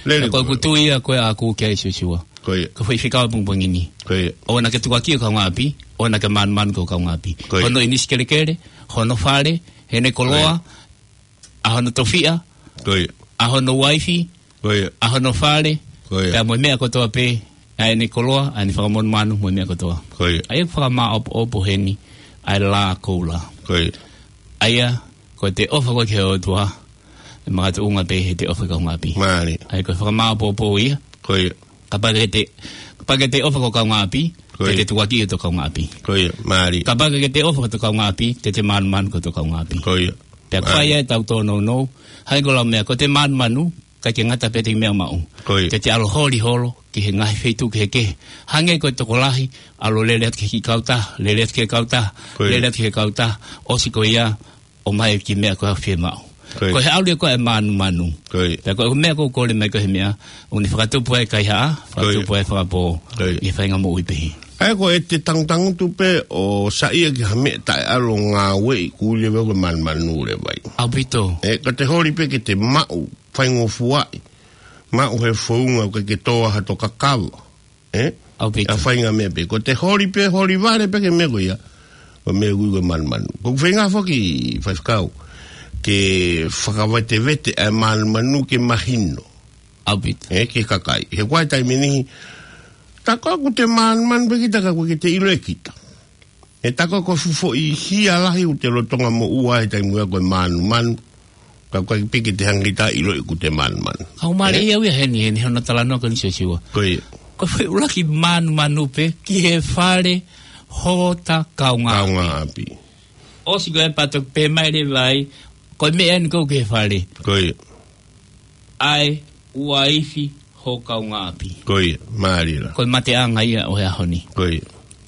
Lele Pea ʻoku ou ko. tui ia ko e ʻaku ki ai Siosiua. Ko ia. Ko e foʻi fekau pongipongi ni. Ko ia. ʻOua naʻa ke tukuakiʻi ho kaungāʻapi, ʻoua naʻa ke manumanu ki ho kaungāʻapi. Ko ia. Hono ʻinisi kelekele, hono fale, heʻene koloa, Ko ia. ʻa hono tofiʻa, Ko ia. ʻa hono uaifi, Ko ia. ʻa hono fale, Ko ia. pea mo e meʻa kotoa pē, ʻa ʻene koloa, ʻa ʻene fanga monumanu, mo e meʻa kotoa. Ko ia. ʻA ia ʻoku fakamāʻopoʻopo heni, ʻa e lā koula. Ko ia. ʻA ia, ko e te ʻofa koe ki he ʻOtua, ʻe makatuʻunga pē he te ʻofa ki ho kaungāʻapi. Mālie. ʻA ia ko e fakamāʻopoʻopo ia. Ko ia. Kapau ʻoku ke te, kapau ʻoku ke te ʻofa ki ho kaungāʻapi, Ko ia. te te tukuakiʻi ho kaungāʻapi. Ko ia, mālie. Kapau ʻoku ke te ʻofa ki ho kaungāʻapi, te te manumanu ki ho kaungāʻapi. Ko ia. Pea Mālie. fai ai ʻetau tōnounou, hangē ko e lau meʻa, ko e te manumanu, ʻikai ke ngata pē he meʻa maʻu. Ko ia. Te te ʻalu ʻo holi holo, ki he ngaahi feituʻu kehekehe. Hangē ko e tokolahi, ʻalu ʻo lele atu ki he kiʻi kautaha, lele atu ki he kautaha, Ko ia. lele atu ki he kautaha, ʻosi ko ia, ʻomai e kiʻi meʻa ko ē ʻoku fiemaʻu. Ko ia. Ko e ʻalu ia ko ē ʻa e manumanu. Ko ia. Pea ko e meʻa ʻoku ou kole mai ko e meʻa, ʻoku ne fakatupu ai e kaihaʻa, Ko ia. fakatupu ai e fakapō, Ko ia. ʻi he faʻahinga moʻui pehē. ʻA ia ko ʻete tangutangutu pē ʻo saiʻia ki ha meʻa taʻeʻalu ʻo ngāueʻi, ʻoku ui leva ko e manumanu leva ia. ʻAupito. Ē, ka te holi pē ke te maʻu, faingofuaʻi, maʻu he founga ʻoku ʻikai ke tō ai hato kakava. Ē? ʻAupito. ʻA e faʻahinga meʻa pē. Ko ʻete holi pē, holi vale pē ki he meʻa ko ia. Ko e meʻa ʻoku ui ko e manumanu. ʻOku ou feinga foki, faifekau, ke fakavetevete ʻa e manumanu ke mahino. ʻAupito. Ē, ki he kakai. He ko e taimi ʻe niʻihi, tā ko ē ʻoku te manumanu pē kita ka ʻoku ʻikai ke te ʻilo ʻe kita. He tā ko ē ko e fuʻu foʻi hia lahi ʻoku te lolotonga moʻua he taimi ko ē ko e manumanu. Ka ʻoku ʻikai pē ke te hanga ʻe kita ʻo ʻiloʻi ʻoku te manumanu. ʻOku mālie Ē? ia au ia heni, heni hono talanoa ko eni Siosiua. Ko ia. Ko e foʻi ʻuluaki manumanu pē ki he fale hota kaungāʻapi. Kaungāʻapi. ʻOsi ko ē pea toki pehē mai leva ai, ko e meʻa eni ʻoku ki he fale. Ko ia. ʻA e uaifi ho kaungāʻapi. Ko ia, mālie lā. Ko e mateʻanga ia ʻo e ʻaho ni. Ko ia.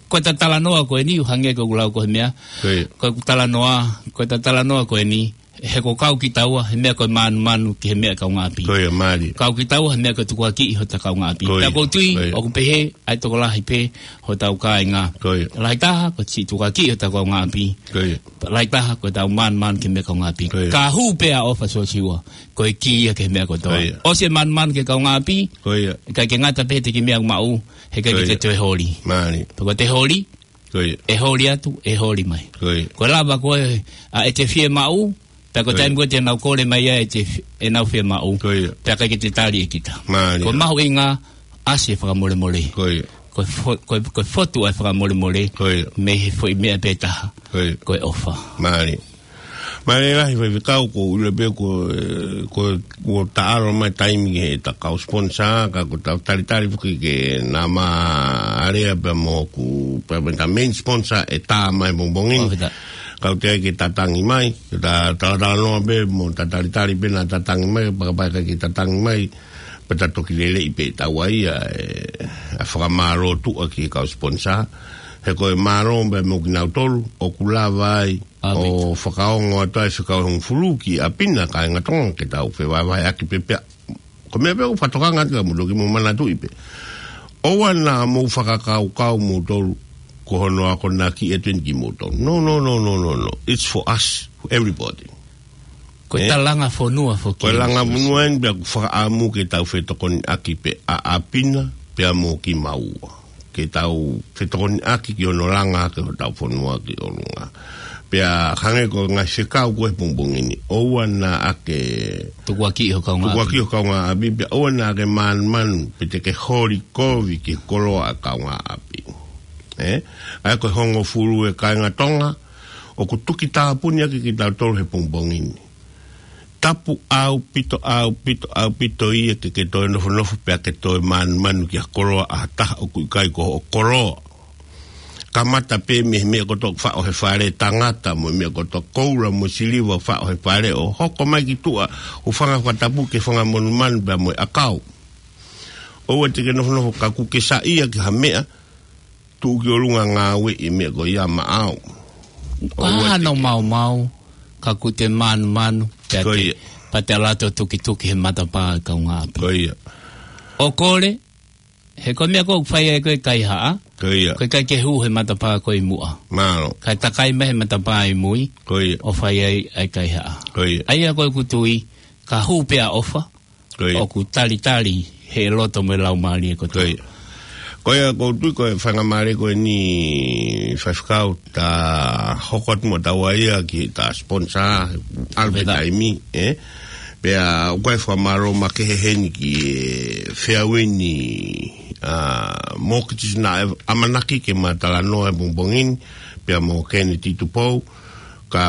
Ko ʻeta talanoa ko eni, ʻo hangē ko ʻeku lau ko e meʻa. Ko ia. Ko ʻeku talanoa, ko ʻeta talanoa ko eni, he ko e kau kitaua he meʻa ko e manumanu ki he meʻa kaungāʻapi. Ko ia, mālie. Kau kitaua he meʻa ko e tukuakiʻi hota kaungāʻapi. Ko ia. Pea ʻoku ou tui, ko ia, ʻoku pehē ʻa e tokolahi pē hotau kāinga. Ko ia. Lahi taha, ko e siʻi tukuakiʻi hota kaungāʻapi. Ko ia. Lahi taha, ko ʻetau manumanu ki he meʻa kaungāʻapi. Ko ia. Ka hū pē ʻa e ʻofa, Siosiua, ko e kī ia ki he meʻa kotoa. Ko ia. ʻOsi e manumanu ki he kaungāʻapi, ko ia, ʻikai ke ngata pē he kiʻi meʻa ʻoku maʻu, he ʻikai ke, ko ia, te toe holi. Mālie. Pea ko ʻete holi, ko ia, ʻe holi atu, ʻe holi mai. Ko ia. Ko e lava ko ē ʻa ʻete fiemaʻu, pea ko e, ko ia, taimi ko ē te nau kole mai ai ʻete fi-, ʻenau fiemaʻu, ko ia, pea ʻikai ke te tali ʻe kita. Mālie. Ko e mahuʻinga, ʻasi e fakamolemole. Ko ia. Ko e fo-, ko e, ko e fotu ʻa e fakamolemole, ko ia, mei he foʻi meʻa pē taha. Ko ia. Ko e ʻofa. Mālie. Mālie lahi, Faifekau, ʻoku ou ʻilo pē ko, eh, ko, kuo taʻalo mai taimi ki heʻeta kau sponsor, ka ʻoku tau talitali foki ke nau maʻu ʻa e lea pea mo hoku, pea mo ʻeta main sponsor ʻe tā mai he pongipongi ni. Fakafetaʻi. Kau teʻeki ke ta tangi mai, ke ta talatalanoa pē mo ta talitali pē naʻa ta tangi mai, pea kapau ʻe ʻikai ke ta tangi mai, pea ta toki lelei pē ʻetau ʻai ʻa e, ʻa e fakamālō tuʻa ki he kau sponsor. He ko e mālō pē mo kinautolu, ʻoku lava ai, ʻaupito, ʻo fakaongo atu ai e fekau ʻe hongofulu ki ʻapi na, kāinga Tonga, ke tau fevahevaheʻaki pē pea. Ko e meʻa pē ʻoku fakatokanga atu ka mou toki mou manatuʻi pē. ʻOua naʻa mou fakakaukau moutolu ko hono akonaki ʻe tuen kimoutolu. No, no, no, no, no, no. It's for us, for everybody. Ko e, eh? Ta langa fonua foki. Ko e langa fonua eni, pea ʻoku fakaʻamu ke tau fetokoniʻaki pē ʻa ʻapi na, pea mo kimaua. Ke tau fetokoniʻaki ki hono langa hake hotau fonua ki ʻolunga. Pea hangē ko e ngaahi fekau ko ē he pongipongi ni. ʻOua naʻa ke tukuakiʻi ho kaungāʻapi. Tukuakiʻi ho kaungāʻapi, pea ʻoua naʻa ke manumanu, pe te ke holi kovi ki he koloa ʻa e kaungāʻapi. Eh? ʻA ia ko e hongofulu ʻe kāinga Tonga, ʻoku tuki tāpuni ʻaki kitautolu he pongipongi ni. Tapu ʻaupito, ʻaupito, ʻaupito ia ke ke toe nofonofo pea ke toe manumanu ki ha koloa ʻa ha taha ʻoku ʻikai ko hoʻo koloa. Kamata pē mei he meʻa kotoa ʻoku faʻo he fale, tangata mo e meʻa kotoa, koula mo e siliva ʻoku faʻo he fale, ʻo hoko mai ki tuʻa, ʻo fanga fakatapu ki he fanga monumanu pea mo e ʻakau. ʻOua te ke nofonofo ka kuo ke saiʻia ki ha meʻa, tuʻu ki ʻolunga, ngāueʻi e meʻa ko ia maʻau. Ka ʻoua te ke hano maumau, ka kuo te manumanu, pea te, ko ia, pea te ʻalu atu ʻo tukituki he matapā ʻo e kaungāʻapi. Ko ia. ʻO kole, he ko e meʻa ko ē ʻoku fai ai ko ē e kaihaʻa, ko ia, ko e ʻikai ke hū he matapā ko ē ʻi muʻa. Mālō. Kae takai mai he matapā ʻi mui, ko ia, ʻo fai ai ʻa e kaihaʻa. Ko ia. ʻA ia ko ʻeku tui, ka hū pē ʻa e ʻofa, ko ia, ʻoku talitali he loto mo e laumālie kotoa. Ko ia. Ko ia, ʻoku ou tui ko e faingamālie ko eni, Faifekau, ta hoko atu mo tau ʻai ia ki heʻeta sponsor, ʻalu pē taimi, eh? Pea ʻoku ʻi ai e fakamālō makehe heni ki he Fairwind, ʻa, Mortgages naʻe ʻamanaki ke ma talanoa he pongipongi ni, pea mo Kennedy Tupou, ka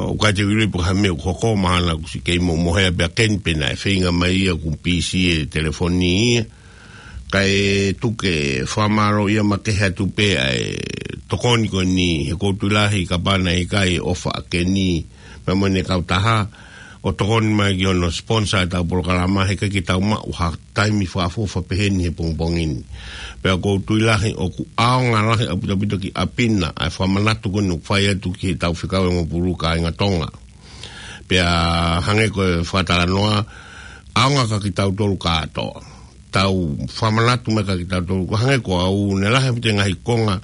ʻoku ʻikai te u ʻilo pe ko e hā e meʻa ʻoku hoko, mahalo kuo ʻosi kei momohe pē ʻa Ken pe naʻe feinga mai ia kuo pisi e telefoni ia. Kae tuku e fakamālō ia makehe atu pē ʻa e tokoni ko eni, he ʻoku ou tui lahi kapau naʻe ʻikai e ʻofa ʻa Keni pea mo ʻene kautaha ʻo tokoni mai ki hono sponsor ʻetau polokalama, he ʻikai ke tau maʻu ha taimi fakaʻofoʻofa peheni he pongipongi ni. Pea ʻoku ou tui lahi ʻoku ʻaonga lahi ʻaupito ʻaupito ki ʻapi na ʻa e fakamanatu ko eni ʻoku fai atu ki heʻetau fekau ʻe hongofulu kāinga Tonga. Pea hangē ko e fakatalanoa, ʻaonga kia kitautolu kātoa. Tau fakamanatu mai kia kitautolu, ko e hangē ko au, naʻe lahi ʻaupito e ngaahi konga,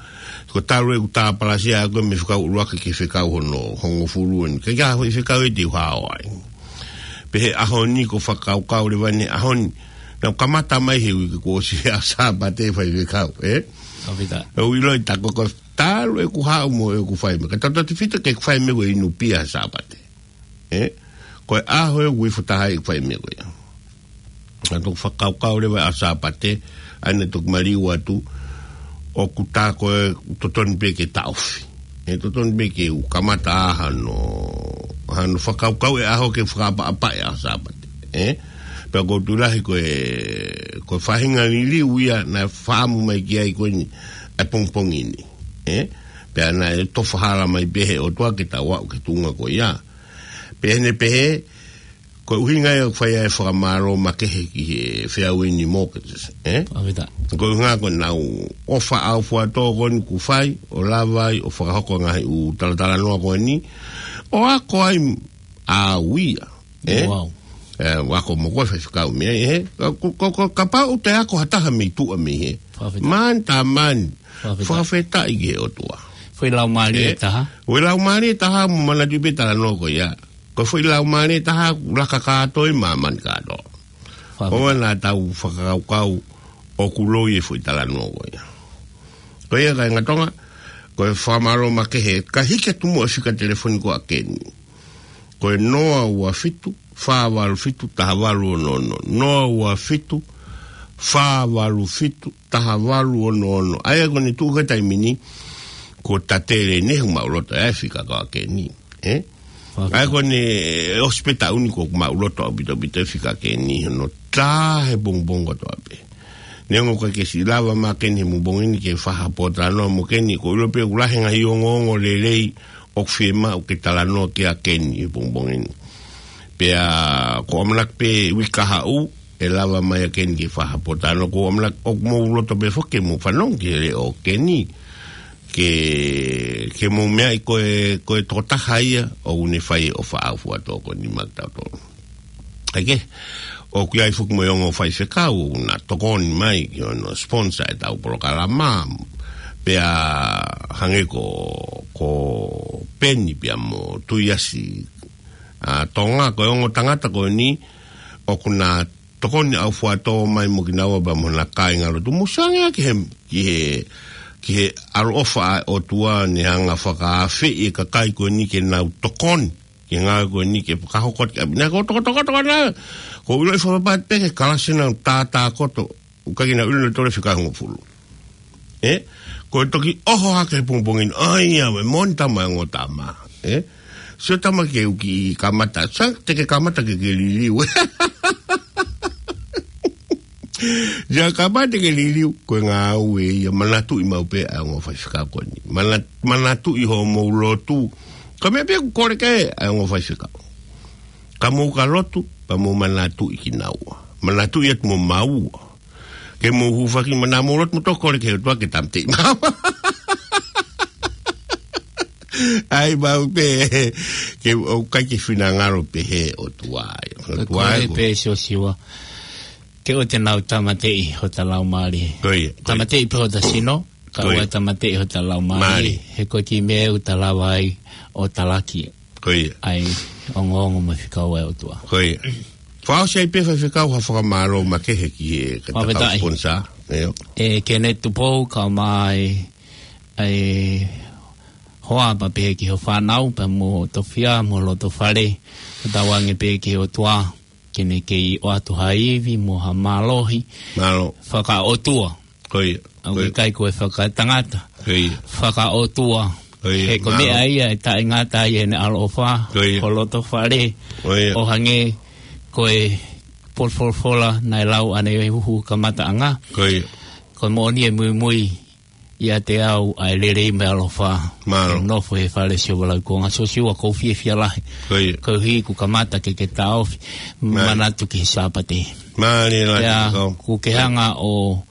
ko e talu ʻeku tāpalasia ʻaʻaku mei he fekau ʻuluaki ki he fekau hono hongofulu eni. ʻIkai ke ʻi ai ha foʻi fekau ia te u hao ai. Pea he ʻaho ni ʻoku ou fakakaukau leva eni he ʻaho ni, naʻá ku kamata mai he uike kuo ʻosi he ʻaho Sāpate, Faifekau, eh? ʻAupito. ʻOku ou ʻiloʻi tā ko e talu ʻeku haʻu mo ʻeku fai meʻa. Ka tautautefito ki heʻeku fai meʻa ko e inu pia he Sāpate. Eh? Ko e ʻaho ia ʻoku ou ifo taha ai ʻeku fai meʻa ko ia. Naʻá ku fakakaukau leva he ʻaho Sāpate, ʻa ia naʻe toki maliu atu, ʻoku tā ko ē totonu pē ke taʻofi. ʻE totonu pē ke u kamata ʻa hano, hano fakakaukau e ʻaho ke fakaʻapaʻapa e ʻaho Sāpate. Eh? Pea ʻoku ou tui lahi ko e, ko e faʻahinga liliu ia naʻe fakaʻamu mai ki ai ko eni ʻa e pongipongi ni. Eh? Pea naʻe tofa hala mai pē he ʻOtua ke tau aʻu ki he tuʻunga ko ia. Pea ʻi heʻene pehē, ko e ʻuhinga ia ʻoku fai ai e fakamālō makehe ki he Fairwind Mortgages, eh? ʻAupito. Ko e ʻuhinga ko ʻenau ʻofa ʻaufuatō ko eni kuo fai, ʻo lava ai ʻo fakahoko e ngaahi ʻū talatalanoa ko eni, ʻo ako ai ʻAuia. ʻE? Wow. ʻE, ʻoku ou ako mo koe faifekau mei ai, ʻe? Ko, ko, ko, kapau te ako ha taha mei tuʻa mei hē. Fakafetaʻi. Mani tā mani. Fakafetaʻi. Fakafetaʻi ki he ʻOtua. Foʻi laumālie ʻe taha. Foʻi laumālie taha mo manatuʻi pē talanoa ko ia. Ko e foʻi laumālie taha, laka kātoa ʻi māmani kātoa. Fakafetaʻi. ʻOua naʻa tau fakakaukau ʻoku loi e foʻi talanoa ko ia. Ko ia kāinga Tonga, ko e fakamālō makehe, ka hiki atu muʻa e fika telefoni ko ē ʻa Keni. Ko e noa ua fitu, fā valu fitu, taha valu ono ono. Noa ua fitu, fā valu fitu, taha valu ono ono. ʻA ia ko eni tuʻu ki he taimi ni, ko tatele ne hu maʻuloto e fika ko ē ʻa Keni. ʻE? Fakafetaʻi. ʻA ia ko eni, ʻosi pē taʻu ni ko ē ʻoku maʻuloto ʻaupito ʻaupito e fika ʻa Keni, hono tā he pongipongi kotoa pē. Neongo ʻoku ʻikai ke siʻi lava mai ʻa Keni he pongipongi ni ke fai ha pōtalanoa mo Keni, ʻoku ou ʻilo pē ʻoku lahi e ngaahi ongoongo lelei ʻoku fiemaʻu ke talanoa ki ai ʻa Keni he pongipongi ni. Pea ʻoku ou ʻamanaki pē uike kahaʻu, ʻe lava mai ʻa Keni ke fai ha pōtalanoa, ʻoku ou ʻamanaki ʻoku mou loto pē foki ke mou fanongo ki he leʻo ʻo Keni, ke, ke mou meaʻi ko e, ko e tokotaha ia ʻoku ne fai e ʻofa ʻaufuatō ko eni maʻatautolu. ʻA ia, ʻoku ʻi ai foki mo e ongo faifekau ʻoku na tokoni mai ki hono sponsor ʻetau polokalama. Pea hangē ko, ko Peni pea mo Tuiasi, ʻa Tonga, ko e ongo tangata ko eni ʻoku na tokoni ʻaufuatō mai mo kinaua pea mo hona kāingalotu. Mou sio ange ki he, ki he, ki he ʻaloʻofa ʻa e ʻOtua ne hanga ʻo fakaafeʻi e kakai ko eni ke nau tokoni ki he ngāue ko eni ke fakahoko atu ki ʻapi. Naʻa ku tokotoko atu ʻana, ʻoku ou ʻiloʻi fakapapau pē ke kalasi nau tātā koto, ʻoku ʻikai ke nau ʻilo nautolu e fika hongofulu. ʻE? Ko e toki ʻoho hake he pongipongi ni, ʻai ia, ʻe moʻoni tama e ongo tama. ʻE? Sio tama ke u kiʻi kamata, sa te ke kamata ke ke liliu. Ia kamata ke liliu, ko e ngāue ia, manatuʻi maʻu pē ʻa e ongo faifekau ko eni. Mana-, manatuʻi hoʻomou lotu. Ko e meʻa pē ʻoku kole ki ai ʻa e ongo faifekau. Ka mou ka lotu, pea mou manatuʻi kinaua. Manatuʻi atu mo maua. Ke mou hūfaki, mana mou lotu mo tokole ki he ʻOtua ke tāmateʻi maua. ʻAi maʻu pē, ke ʻoku ʻikai ke finangalo pē he ʻOtua ia. Ka ʻOtua kole ia ko pē Siosiua, ke ʻoua te nau tāmateʻi hota laumālie. Ko ia, ko ia. Tāmateʻi pē hota sino, ka ʻoua ʻe tāmateʻi hota laumālie. Mālie. He ko e kiʻi meʻa ʻoku ta lava ai ʻo talaki. Ko ia. ʻA e ongoongo mo e fekau ʻa e ʻOtua. Ko ia. Fakaʻosi ai pē faifekau ha fakamālō makehe ki he katakau sponsor. Fakafetaʻi. ʻIo. ʻE Kenneth Tupou, kae ʻumaʻā e hoa pea pehē ki hoʻo fānau, pea mo Tofia, mo loto fale, ʻoku tauange pē ki he ʻOtua, ke ne kei ʻoatu ha ivi mo ha mālohi. Mālō. Fakaʻotua. Ko ia. ʻOku ʻikai ko e fakatangata. Ko ia. Fakaʻotua. Ko ia. He ko e meʻa ia ʻe taʻengata ai ʻene ʻaloʻofa. Ko ia. Ko loto fale. Ko ia. ʻO hangē ko e folofola naʻe lau ʻanenai he huhu kamataʻanga. Ko ia. Ko e moʻoni ʻe muimui ʻiate au ʻa e lelei mo e ʻaloʻofa. Mālō. ʻE nofo he fale Siosiua Laukonga. Siosiua, ʻoku ou fiefia lahi. Ko ia. Koeʻuhi kuo kamata ke ke taʻofi. Mālō. Manatu ki he Sāpate. Mālō, ʻe lahi. Pea ʻoku ke hanga ʻo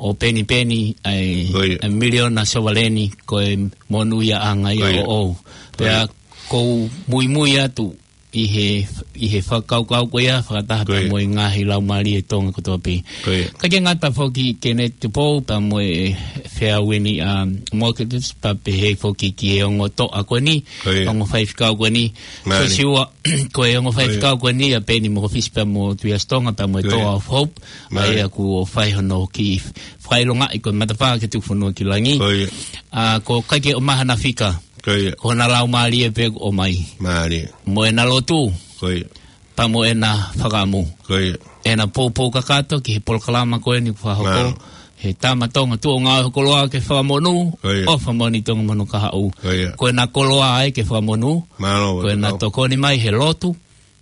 ʻo penipeni ʻa e, ko ia, ʻa e miliona sovaleni ko e monūʻiaʻanga ia, ko ia, ʻoʻou. Ko ia. Pea ʻoku ou muimui atu ʻi he, ʻi he fakakaukau ko ia, fakataha pē, ko ia, mo e ngaahi laumālie Tonga kotoa pē. Ko ia. ʻIkai ke ngata foki Kenneth Tupou pea mo e Fair Wind, um, Mortgages pea pehē foki ki he ongo toʻa ko eni, ko ia, ongo faifekau ko eni. Mālie. Siosiua, ko e ongo, ko ia, faifekau ko eni ʻa Peni Mokofisi pea mo Tuiasi Tonga pea mo e, ko ia, Toa of Hope. Mālie. ʻA ia kuo fai hono kiʻi fakaʻilongaʻi ko e matapā ke tuku fonua ki langi. Ko ia. ʻA, ʻoku ʻikai ke ʻomai hana fika. Ko ia. Ko hona laumālie pē ʻoku ʻomai. Mālie. Mo ʻena lotu. Ko ia. Pea mo ʻena fakaʻamu. Ko ia. ʻEna poupou kakato ki he polokalama ko eni kuo fakahoko. Mālō. He tama Tonga tuʻunga ʻo e koloa ke fakamonū. Ko ia. ʻOfa moʻoni Tonga mo hono kahaʻu. Ko ia. Ko ʻena koloa ai ke fakamonū. Mālō. Ko ʻena tokoni mai he lotu.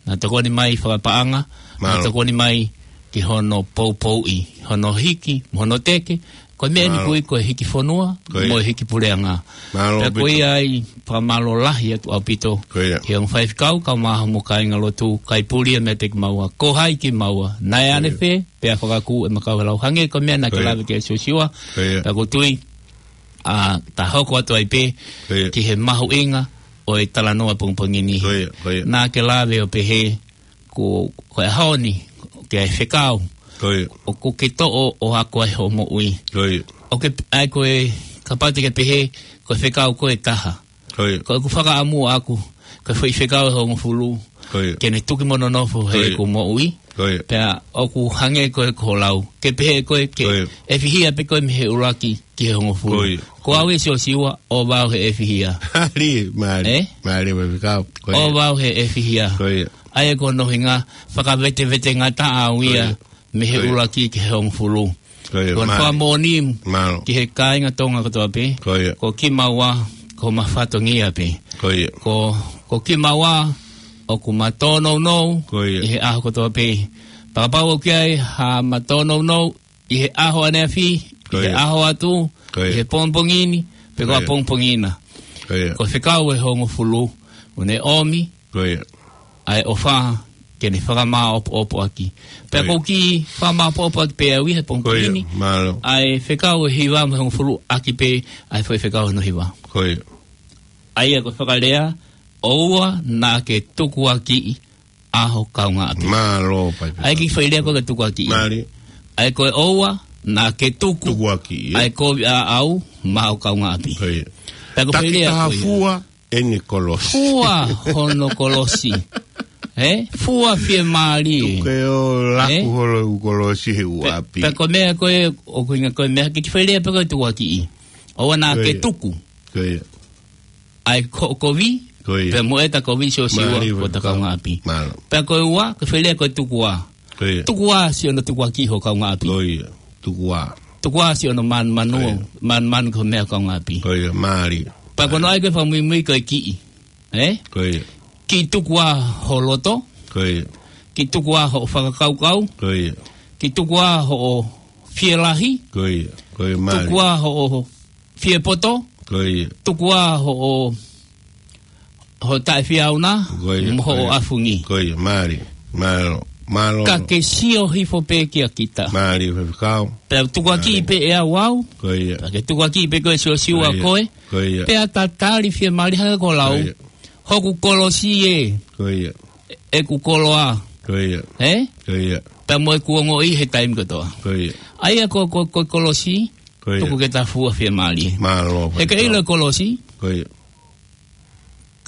Naʻa tokoni mai fakapaʻanga, naʻa, mālō, tokoni mai ki hono poupouʻi, hono hiki, mo hono teke, ko e meʻa eni, mālō, kui ko e hiki fonua, ko ia, mo e hiki puleʻanga. Mālō ʻaupito. Pea ko ia ai, fakamālō lahi atu ʻaupito. Ko ia. Ki he ongo faifekau, kae ʻumaʻā hoʻomo kāingalotu, kae puli e meʻa te kimaua, ko hai kimaua, naʻe, ko ia, ʻanefē, pea fakakū ʻema kau he lau hangē ko e meʻa naʻa ke, ko ia, lave ki ai Siosiua, ko ia, pea ʻoku ou tui, ʻa, ta hoko atu ai pē, ko ia, ki he mahuʻinga ʻo e talanoa pongipongi ni. Ko ia, ko ia. Naʻa ke lave ʻo pehē, ko, ko e ʻaho ni, ke ʻai fekau. Ko ia. ʻOku ke toʻo ʻo ako ai hoʻo moʻui. Ko ia. ʻOku ke, ʻa ia ko e, kapau te ke pehē, ko e fekau ko e taha. Ko ia. Ko ʻeku fakaʻamu ʻaʻaku, ko e foʻi fekau ʻe hongofulu. Ko ia. Ke ne tuki mo nonofo he Ko ia. ʻeku moʻui. Ko ia. Pea ʻoku hangē ko e ko e lau. Ke pehē ko e ke Ko ia. ʻefihia pē ko e mei he ʻuluaki ki he hongofulu. Ko ia. Ko au ē Siosiua, ʻoua ʻe he ʻefihia. Mālie, mālie. Ē? Mālie mo e fekau. Ko ia. ʻOua ʻe he ʻefihia. Ko ia. ʻA ia ko hono ʻuhinga, fakavetevete ngata au ia Ko ia. mei he Ko ia. ʻuluaki ki he hongofulu. Ko ia, Ko hono mālie. fakamoʻoni Mālō. ki he kāinga Tonga kotoa pē. Ko ia. Ko kimaua, ko homa fatongia pē. Ko ia. Ko, ko kimaua, ʻoku ma tōnounou Ko ia. ʻi he ʻaho kotoa pē. Pea kapau ʻoku ʻi ai ha ma tōnounou ʻi he ʻaho ʻaneafi, Ko ʻi he ia. ʻaho atu, Ko ia. ʻi he pongipongi ni, pe Ko ko e ia. pongipongi na. Ko ia. Ko e fekau ʻe hongofulu, ʻoku ne ʻomi, Ko ia. ʻa e ʻofa ke ne fakamāʻopoʻopo ʻaki. Pea Ko ia. ʻoku ou kiʻi fakamāʻopoʻopo ʻaki pē au ia he pongipongi Ko ia. ni, Mālō. ʻa e fekau ʻe hiva mo e hongofulu ʻaki pē, ʻa e foʻi fekau hono hiva. Ko ia. ʻA ia ko e fakalea, ʻoua naʻa ke tukuakiʻi ʻa ho kaungāʻapi. Mālō, Paipeta. ʻA ia kiʻi foʻi lea ko e tukuakiʻi. Mālie. ʻA ia ko e ʻoua naʻa ke tuku Tukuakiʻi, ē? ʻa e kovi ʻaʻau maʻa ho kaungāʻapi. Ko ia. Pea ko e foʻi lea Takitaha ko ia. fua ʻene kolosi. Fua hono kolosi. Ē? Fua fiemālie. Tuku ʻo laku Ē? holo ʻeku kolosi he Pe-, ʻuʻapi. pea ko e meʻa ko ē, ʻoku ʻuhinga ko e meʻa, kiʻi foʻi lea pē ko e tukuakiʻi. ʻOua naʻa Ko ke ia. tuku. Ko ia. ʻA e ko-, kovi, Ko ia. pea mo ʻeta kovi Siosiua Mālie, ko ta Paipeta. kaungāʻapi. Mālō. Pea ko e ua, ko e foʻi lea ko e tukuā. Ko ia. Tukuā siʻono tukuakiʻi ho kaungāʻapi. Ko ia. Tukuā. Tukuā siʻono manumanu, Ko ia. manumanu ki ho meʻa kaungāʻapi. Ko ia, mālie. Pea ko hono ʻai ko e fakamuimui ko e kiʻi. Ē? Ko ia. Kiʻi tukuā ho loto. Ko ia. Kiʻi tukuā hoʻo fakakaukau. Ko ia. Kiʻi tukuā hoʻo fielahi. Ko ia. Ko ia, mālie. Tukuā hoʻo fiepoto. Ko ia. Tukuā hoʻo, hoʻo taʻefiauna. Ko ia, Mo ko hoʻo ia. ʻafungi. Ko ia, mālie. Mālō. Mālō. Ka ke sio hifo pē kia kita. Mālie, faifekau. Pea tukuakiʻi Mālie. pē ʻe au au. Ko ia. Pea ke tukuakiʻi pē koe Siosiua Ko ia. koe. Ko ia. Pea tatali fiemālie hangē ko e lau. Ko ia. Hoku kolosi ē. Ko ia. ʻEku koloa. Ko ia. Ē? Ko ia. Pea mo ʻeku ongoʻi he taimi kotoa. Ko ia. ʻA ia ko, ko, ko e kolosi. Ko ia. Tuku ke ta fua fiemālie. Mālō, He ka faifekau. ʻilo e kolosi. Ko ia.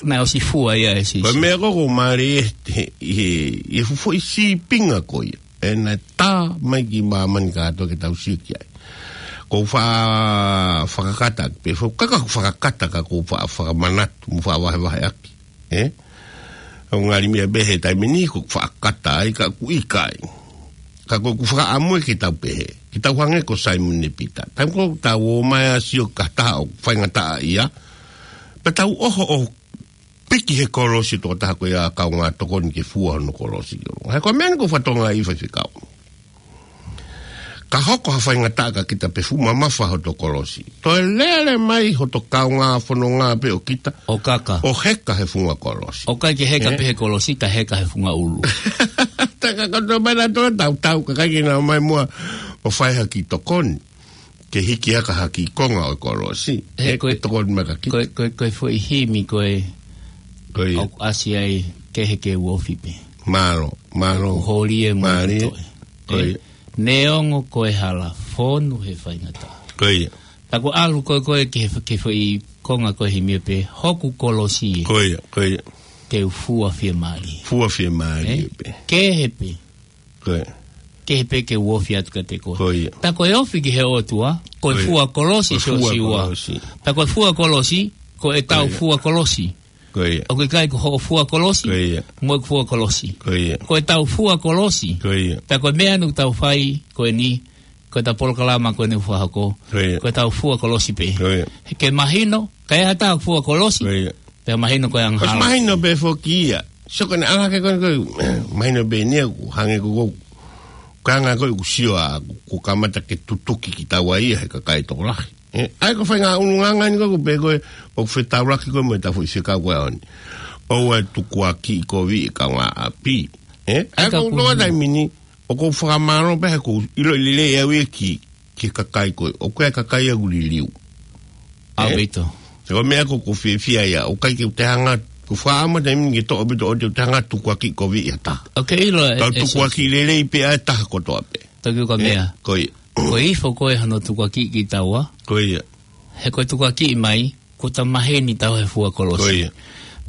Naʻe ʻosi fua ia ʻe Sīsū. Ko e meʻa ko ē ʻoku mālie ʻi he, ʻi he, ʻi he fuʻu foʻi sīpinga ko ia. ʻE naʻe tā mai ki māmani kātoa ke tau sio ki ai. ʻOku ou fa-, fakakata, pea ʻoku ou kaka ʻoku ou fakakata ka ʻoku ou fa-, fakamanatu, mo fakavahevaheʻaki. Ē? ʻOku ngali meʻa pē he taimi ni ʻoku ou fakakata ai ka ʻoku ʻikai. Ka ʻoku ou fakaʻamu ke tau pehē. Ke tau hangē ko Saimone Pita. Taimi ko ē ʻoku tau ō mai ʻo sio ki ha taha ʻoku faingataʻaʻia. Pea tau ʻoho ʻo piki he kolosi ʻo e tokotaha ko ia kaungā tokoni ke fua hono kolosi. He ko e meʻa ni ʻoku ou fakatokangaʻi faifekau. Ka hoko ha faingataʻa kia kita pea fuʻu mamafa hoto kolosi. Toe lele mai hoto kaungā fononga pē ʻo kita. ʻO kaka. ʻO heka he funga kolosi. ʻOku ʻikai ke heka Ē? pē he kolosi, ka heka he funga ʻulu. Tā ka koto mai na tō tau tau, ka ʻikai ke nau ō mai muʻa ʻo fai ha kiʻi tokoni. Ke hiki hake ha kiʻi konga ʻo e kolosi. He Ē, ko e, ke tokoni mai kia kita. ko e, ko e, ko e foʻi himi ko ē Ko ia. ʻoku ʻasi ai kehe ke u ofi pē. Mālō, mālō. ʻOku holi e mo Mālie. toʻe. Ko Ē, ia. neongo ko e hala fonu he faingataʻa. Ko ia. Tā ko e ʻalu ko ē ko ē ki he, ki he foʻi konga ko e himi pē, hoku kolosi ē. Ko ia, ko ia. Ke u fua fiemālie. Fua fiemālie Ē, pē. kehe pē. Ko ia. Kehe pē ke u ofi atu kiate koe. Ko ia. Pea ko e ofi ki he ʻOtua, ko e Ko ia. fua kolosi Ko e fua Siosiua. kolosi. Pea ko e fua kolosi, ko ʻetau Ko ia. fua kolosi. Ko ia. ʻOku ʻikai ko hoʻo fua kolosi, Ko ia. mo ʻeku fua kolosi. Ko ia. Ko ʻetau fua kolosi. Ko ia. Pea ko e meʻa ʻoku tau fai ko eni, ko ʻetau polokalama ko eni ʻoku fakahoko. Ko ia. Ko ʻetau fua kolosi pē. Ko ia. Ke mahino, ka ʻi ai ha taha ʻoku fua kolosi, Ko ia. pea mahino ko e ʻOsi angahala. mahino pē foki ia. Sio ko eni ʻalu hake ko eni ko e, mahino pē eni ia ʻoku hangē ko ē ko e anga ko ē ʻoku sio ʻaʻaku, ʻoku kamata ke tutuki kitaua ia he kakai tokolahi. Ē, ʻa ia ko e faʻahinga ʻulungaanga eni ko ē ʻoku pehē ko ē, ʻoku fetaulaki ko ē mo ʻetau foʻi fekau ko ē ʻaho ni. ʻOua ʻe tukuakiʻi kovi e kaungāʻapi. Ē, ʻa ia ʻIkai ko e ko e longo taimi ni, ʻoku ou fakamālō pē he ʻoku ou ʻiloʻi lelei ʻe au ia ki, ki he kakai ko ē. ʻOku ʻi ai e kakai ʻoku liliu. ʻAupito. Ko e meʻa ko ē ʻoku ou fiefia ai, ʻoku ʻikai ke u toe hanga, ʻoku ou fakaʻamu he taimi ni ke toʻo ʻaupito ʻo toe hanga ʻo tukuakiʻi koviʻi ha taha. Ok, ʻilo e, Kau e tukuakiʻi lelei pē ʻa e taha kotoa pē. Toki uka meʻa. Ko ia. Ko e ifo ko ē hono tukuakiʻi kitaua. Ko ia. He ko e tukuakiʻi mai, kuo ta maheni tau he fua kolosi. Ko ia.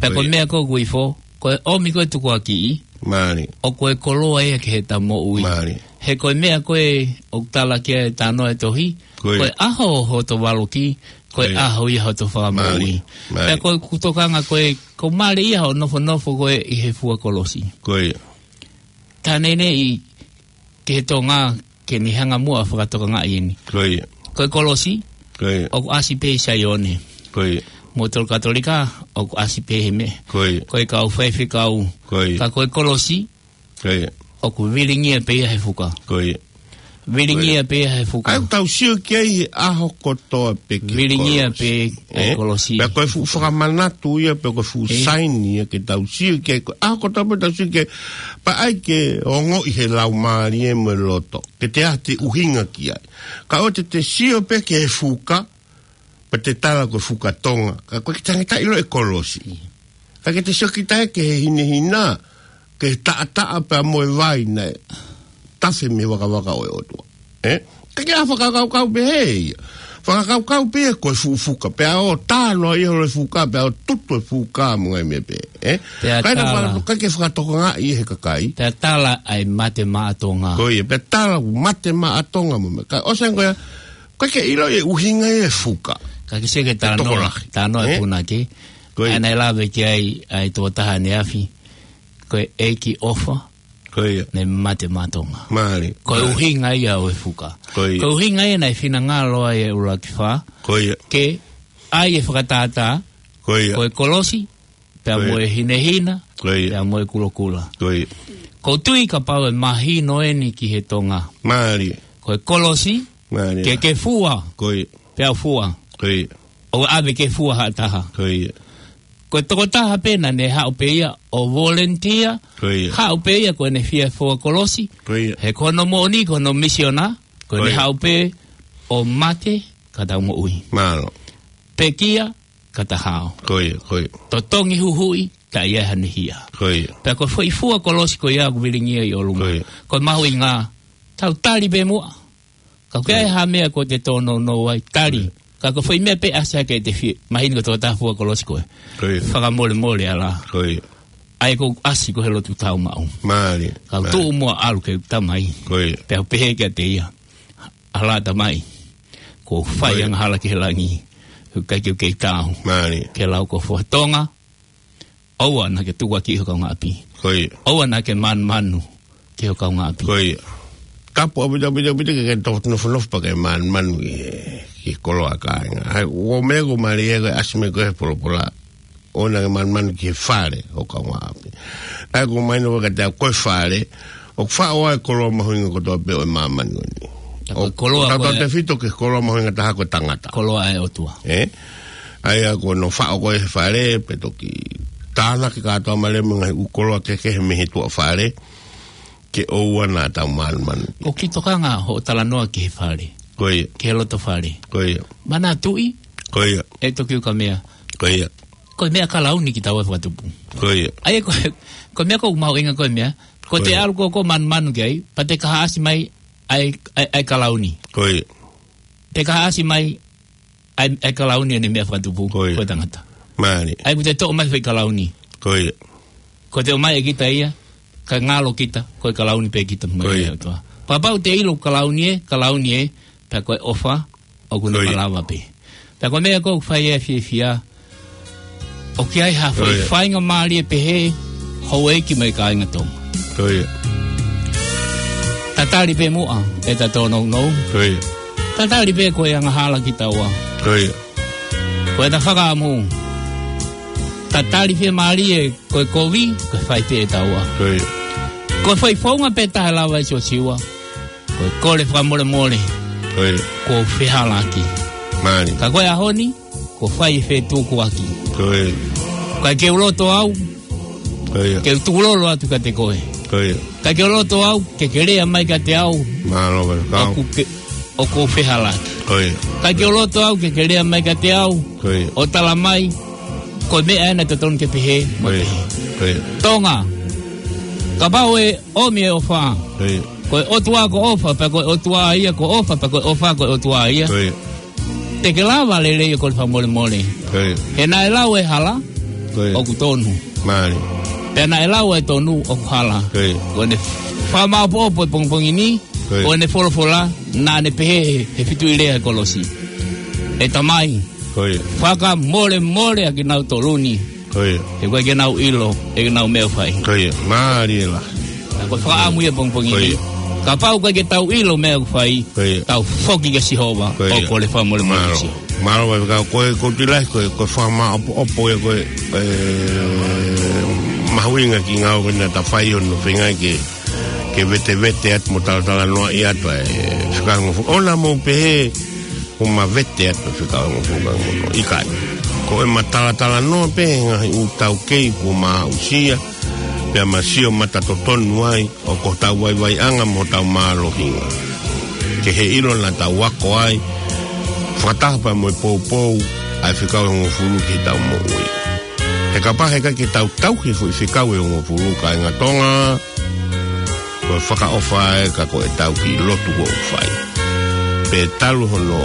Pea ko e meʻa ko ē ʻoku ifo, ko e ʻomi ko ē tukuakiʻi, Mālie. ʻoku ʻi ai e koloa ia ki heʻeta moʻui. Mālie. He ko e meʻa ko ē ʻoku tala ki ai e talanoa e tohi, Ko ia. ko e ʻaho hoto valoki, ko e Ko ia. ʻaho ia hoto fakamoʻui. Mālie. Mālie. Pea ko ʻeku tokanga ko ē, ʻoku mālie ia hoʻo nofonofo ko ē ʻi he fua kolosi. Ko ia. Taha neʻineʻi ki he Tonga ke ne hanga muʻa ʻo fakatokangaʻi eni. Ko ia. Ko e kolosi, Ko ia. ʻoku ʻasi pē ʻi Saione. Ko ia. Motuʻa Katolika, ʻoku ʻasi pē he meʻa. Ko ia. Ko e kau faifekau. Ko ia. Ka ko e kolosi, Ko ia. ʻoku vilingia pē ia he fuka. Ko ia. Vilingia Ko ia. pē ia he fuka. ʻOku tau sio ki ai he ʻaho kotoa pē ki he Vilingia kolosi. pē he Eh? kolosi. Pea ko e fuʻu fakamanatu ia, pea ko e fuʻu Eh? saini ia ke tau sio ki ai. Ko e ʻaho kotoa pē tau sio ki ai. Pea ʻai ke ongoʻi he laumālie mo e loto. Ke te ʻai te ʻuhinga ki ai. Ka ʻoua te te sio pē ki he fuka, pea te tala ko e fuka Tonga. Ka ʻoku ʻikai ke tangata ʻilo e kolosi. Ka ke te sio kita ki he hinehina, ki he taʻataʻa pea mo e vai naʻe tafe mei he vakavaka ʻo e ʻOtua. Eh? ʻIkai ke ʻai ha fakakaukau pehē ia. Fakakaukau pē ia ko e fuʻu fuka. Pea ʻoku tano ia holo e fuka, pea ʻoku tutu e fuka mo e ngaahi meʻa pehē. Eh? Pea Kae na tala. faka-, ʻikai ke fakatokangaʻi he kakai. Pea tala ʻa e mate maʻa Tonga. Ko ia, pea tala mate maʻa Tonga mo e meʻa. Ka ʻosi ange ko ia, ʻoku ʻikai ke ʻilo e ʻuhinga e fuka. Ka ke sio ki he talanoa, Tokolahi. talanoa Eh? punake. Ko ia. ʻA ia naʻe lave ki ai ʻa e tokotaha ʻaneafi. Ko e ʻEiki ʻofa, Ko ia. naʻe mate maʻa Tonga. Mālie. Ko e Mālie. ʻuhinga ia ʻo e fuka. Ko ia. Ko e ʻuhinga ia naʻe finangalo ai e ʻuluaki fā. Ko ia. Ke ʻai e fakatātā. Ko ia. Ko e kolosi, pea Ko ia. mo e hinehina, Ko ia. pea mo e kulokula. Ko ia. ʻOku ou tui kapau ʻe mahino eni ki he Tonga. Mālie. Ko e kolosi, Mālie. ke ke fua, Ko ia. pea u fua. Ko ia. ʻO ʻave ke fua ha taha. Ko ia. Ko e tokotaha pē naʻa ne haʻu pē ia ʻo volunteer, Ko ia. haʻu pē ia ko ʻene fie fua kolosi. Ko ia. He ko hono moʻoni, ko hono misiona, ko ʻene Ko ia. haʻu pē ʻo mate ka tau moʻui. Mālō. Pekia ka ta hao. Ko ia, ko ia. Totongi huhuʻi, ka ʻi ai hano hia. Ko ia. Pea ko e foʻi fua kolosi ko ia ʻoku vilingia ʻi ʻolunga. Ko ia. Ko e mahuʻinga, tau tali pē muʻa. Ka ʻoku ʻi ai Ko ia. ha meʻa ko ʻete tōnounou ai, tali. Ko ia. Ka ko e foʻi meʻa pē ʻasi hake ʻete fie, mahino ko e tokotaha fua kolosi ko ē. Ko ia. Fakamolemole ʻalā. Ko ia. ʻA ia ʻoku ʻasi ko ē he lotu tāumaʻu. Mālie. Ka u Mālie. tuʻu muʻa ʻalu ke u tala mai. Ko ia. Pea u pehē kiate ia. ʻAlā Tamai. ʻOku ou fai Ko ia. angahala ki he langi. ʻOku ʻikai ke u kei taau. Mālie. Ke lau ko e fua Tonga. ʻOua naʻa ke tukuakiʻi ho kaungāʻapi. Ko ia. ʻOua naʻa ke manumanu ki ho kaungāʻapi. Ko ia. Tapu ʻaupito, ʻaupito, ʻaupito ke ke tofu nofonofo pea ke manumanu ki he, ki he koloa kāinga. ʻA ia, ʻoku ou meʻa ʻoku mālie ko e ʻasi mai ko ē he polopola. ʻOua naʻa ke manumanu ki he fale ho kaungāʻapi. ʻA ia ʻoku mahino kiate au ko e fale, ʻoku faʻo ai e koloa mahuʻinga kotoa pē ʻo e māmani ko eni. Ko e ʻOku koloa ko e tautautefito ki he koloa mahuʻinga taha ko e tangata. Koloa ʻa e ʻOtua. Eh? ʻA ia ko hono faʻo ko ē he fale, pea toki tānaki kātoa mālie mo e ngaahi ʻū koloa kehekehe mei he tuʻa fale, ke ʻoua naʻa tau manumanu. ʻOku ou tokanga hoʻo talanoa ki he fale. Ko ia. Ki he loto fale. Ko ia. Manatuʻi. Ko ia. ʻE toki uka meʻa. Ko ia. Ko e meʻa kalauni kitaua fakatupu. Ko ia. ʻA ia ko, ko e meʻa ʻoku mahuʻinga ko e meʻa. Ko Ko te ia. ʻalu ko ē ʻo manumanu ki ai, pea te kaihaʻasi mai ʻa e, ʻa e, ʻa e kalauni. Ko ia. Te kaihaʻasi mai ʻa e, ʻa e kalauni ʻene meʻa fakatupu, Ko ia. ko e tangata. Mālie. ʻA ia ʻoku te toʻo mai foʻi kalauni. Ko ia. Ko te ʻomai ʻe kita ia, ka ngalo kita, ko e kalauni pē kita mai Ko ia. ʻOtua. Kapau te ʻilo kalauni ē, kalauni ē, pea ko e ʻofa, ʻoku ne Ko ia. malava pē. Pea ko e meʻa ʻoku ou fai e fiefia, ʻoku ʻi ai ha foʻi Ko ia. faingamālie pehē, houʻeiki mo e kāinga Tonga. Ko ia. Tatali pē muʻa, ʻeta tōnounou. Ko ia. Tatali pē ko e angahala kitaua. Ko ia. Ko ʻeta fakaʻamu. Tatali fiemālie, ko e kovi, ko e fai pē ʻe taua. Ko ia. Ko e foʻi founga pē taha lava ʻe Siosiua. Ko e kole fakamolemole. Ko ia. Ko e fehālaaki. Mālie. Ka ko e ʻaho ni, ko e fai e fetukuaki. Ko ia. Ka ke u loto au. Ko ia. Ke u tukulolo atu kiate koe. Ko ia. Ka ke u loto au, ke ke lea mai kiate au. Mālō, ka. ʻOku ke, ʻoku ou fehālaaki. Ko ia. ʻIkai ke u loto au ke ke lea mai kiate au. Ko ia. ʻO tala mai, ko e meʻa ena totonu ke pehē, mo Ko ia. pehē. Ko ia. Tonga, kapau ʻe ʻomi e ʻofa. Ko ia. Ko e ʻOtua ko ʻofa, pea ko e ʻOtua ia ko ʻofa, pea ko e ʻofa ko e ʻOtua ia. Ko ia. Te ke lava lelei ʻo kole fakamolemole. Ko ia. He naʻe lau e hala, Ko ia. ʻoku tonu. Mālie. Pea naʻe lau e tonu ʻoku hala. Ko ia. Ko ʻene fakamāʻopoʻopo e pongipongi ni, Ko ia. ko ʻene folofola, naʻa ne pehē he, he fitu ʻi lea he kolosi. ʻE Tamai, Ko ia. fakamolemole ʻa kinautolu ni. Ko ia. He ʻoku ʻikai ke nau ʻilo ʻa ʻenau meʻa ʻoku fai. Ko ia. Mālie lahi. Ko e fakaʻamu ia pongipongi Ko ia. ni. Kapau ʻoku ʻikai ke tau ʻilo meʻa ʻoku fai, Ko ia. tau foki kia Sihova, Ko ia. ʻo kole fakamolemole Mālō. kia Sihova. Mālō, ʻa e fekau ko e, ko e tila, ko e, ko e fakamāʻopoʻopo ia ko e, e, mahuʻinga ki he ngāue ko ena naʻa ta fai ʻo nofo feinga ke, ke vetevete atu mo talatalanoaʻi atu ʻa e fekau hongofulu. ʻOua naʻa mou pehē, ʻoku ma vete atu e fekau hongofulu ka ngono. ʻIkai. Ko ʻema talatalanoa pē he ngaahi ʻū taukei kuo ma aʻusia, pea ma sio matatotonu ai, ʻo ko hotau vaivaiʻanga mo hotau mālohinga. Ke he ʻilo naʻa tau ako ai, fakataha pea mo e poupou, ʻa e fekau hongofulu ki heʻetau moʻui. He kapau he ʻikai ke tau tauhi e foʻi fekau ʻe hongofulu kāinga Tonga, ko e fakaʻofa ē ka ko ʻetau kiʻi lotu ʻoku fai. Pea talu hono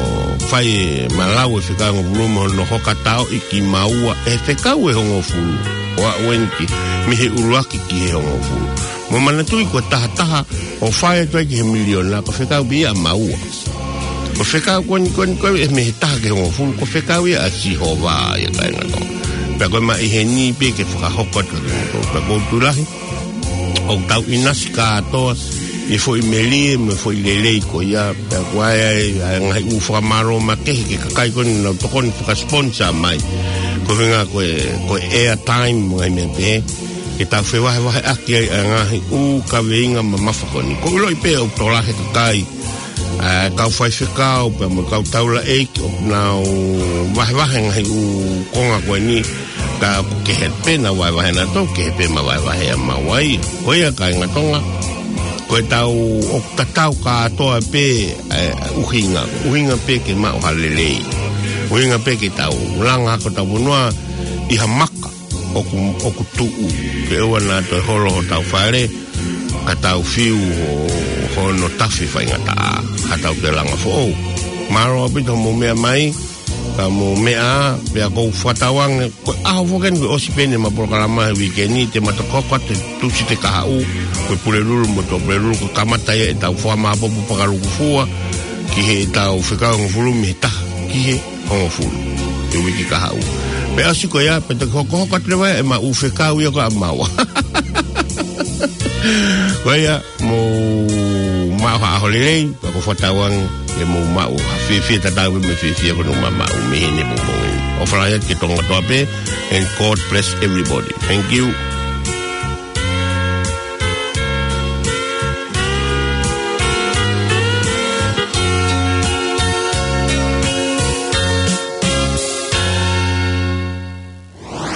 fai ʻema lau e fekau ʻe hongofulu mo hono hoka taoʻi kimaua ʻe he fekau ʻe hongofulu. ʻO aʻu eni ki, mei he ʻuluaki ki he hongofulu. Mou manatuʻi ko e tahataha ʻoku fai atu ai ki he miliona, ko e fekau pē ia ʻa maua. Ko e fekau ko eni, ko eni, ko eni, mei he taha ki he hongofulu, ko e fekau ia ʻa Sihova ia kāinga Tonga. Pea ko e maʻu ʻi heni pē ke fakahoko atu ki he motu. Pea ʻoku ou tui lahi, ʻoku tau ʻinasi kātoa ʻi he foʻi melie mo e foʻi lelei ko ia, pea ko e, ʻa e, ʻa e ngaahi ʻū fakamālō makehe ki he kakai ko eni naʻa nau tokoni fakasponsa mai. Ko e ʻuhinga ko e, ko e airtime mo e ngaahi meʻa pehē, ke tau fevahevaheʻaki ai ʻa e ngaahi ʻū kaveinga mamafa ko eni. ʻOku ou ʻiloʻi pē ʻoku tokolahi e kakai, ʻa e kau faifekau, pea mo e kau taulaʻeiki, ʻoku nau vahevahe e ngaahi ʻū konga ko eni, ka ʻoku kehe pē ʻenau vahevahe naʻa nau tō, kehe pē ʻema vahevahe ʻa maua ia. Ko ia kāinga Tonga, ko ʻetau ʻoku tatau kātoa pē, ʻa e ʻuhinga, ʻuhinga pē ke maʻu ha lelei. ʻUhinga pē ke tau langa hake hotau fonua ʻi ha maka ʻoku, ʻoku tuʻu, ke ʻoua naʻa toe holo hotau fale, ka tau fiu ho-, hono tafe faingataʻa, ka tau toe langa foʻou. Mālō ʻaupito hoʻomou meʻa mai, ka mou meʻa, pea ʻoku ou fakatauange, ko e ʻaho foki eni kuo ʻosi pē eni ʻema polokalama he uike ni, te ma toki hoko atu he Tūsite kahaʻu, ko e Pulelulu mo e Tuʻapulelulu, ko e kamata ia ʻetau fakamāʻopoʻopo fakalūkufua, ki heʻetau fekau hongofulu mei he taha, ki he hongofulu. He uike kahaʻu. Pea ʻosi ko ia, pea toki hokohoko atu leva ʻema ʻū fekau ia ko ē ʻa maua. Ko ia, mou maʻu ha ʻaho lelei, pea ʻoku ou fakatauange ke mou maʻu ha fiefia tatau mo e fiefia ko eni ʻoku ma maʻu mei heni he pongipongi ni. ʻOfa lahi atu ki he Tonga kotoa pē, and God bless everybody. Thank you.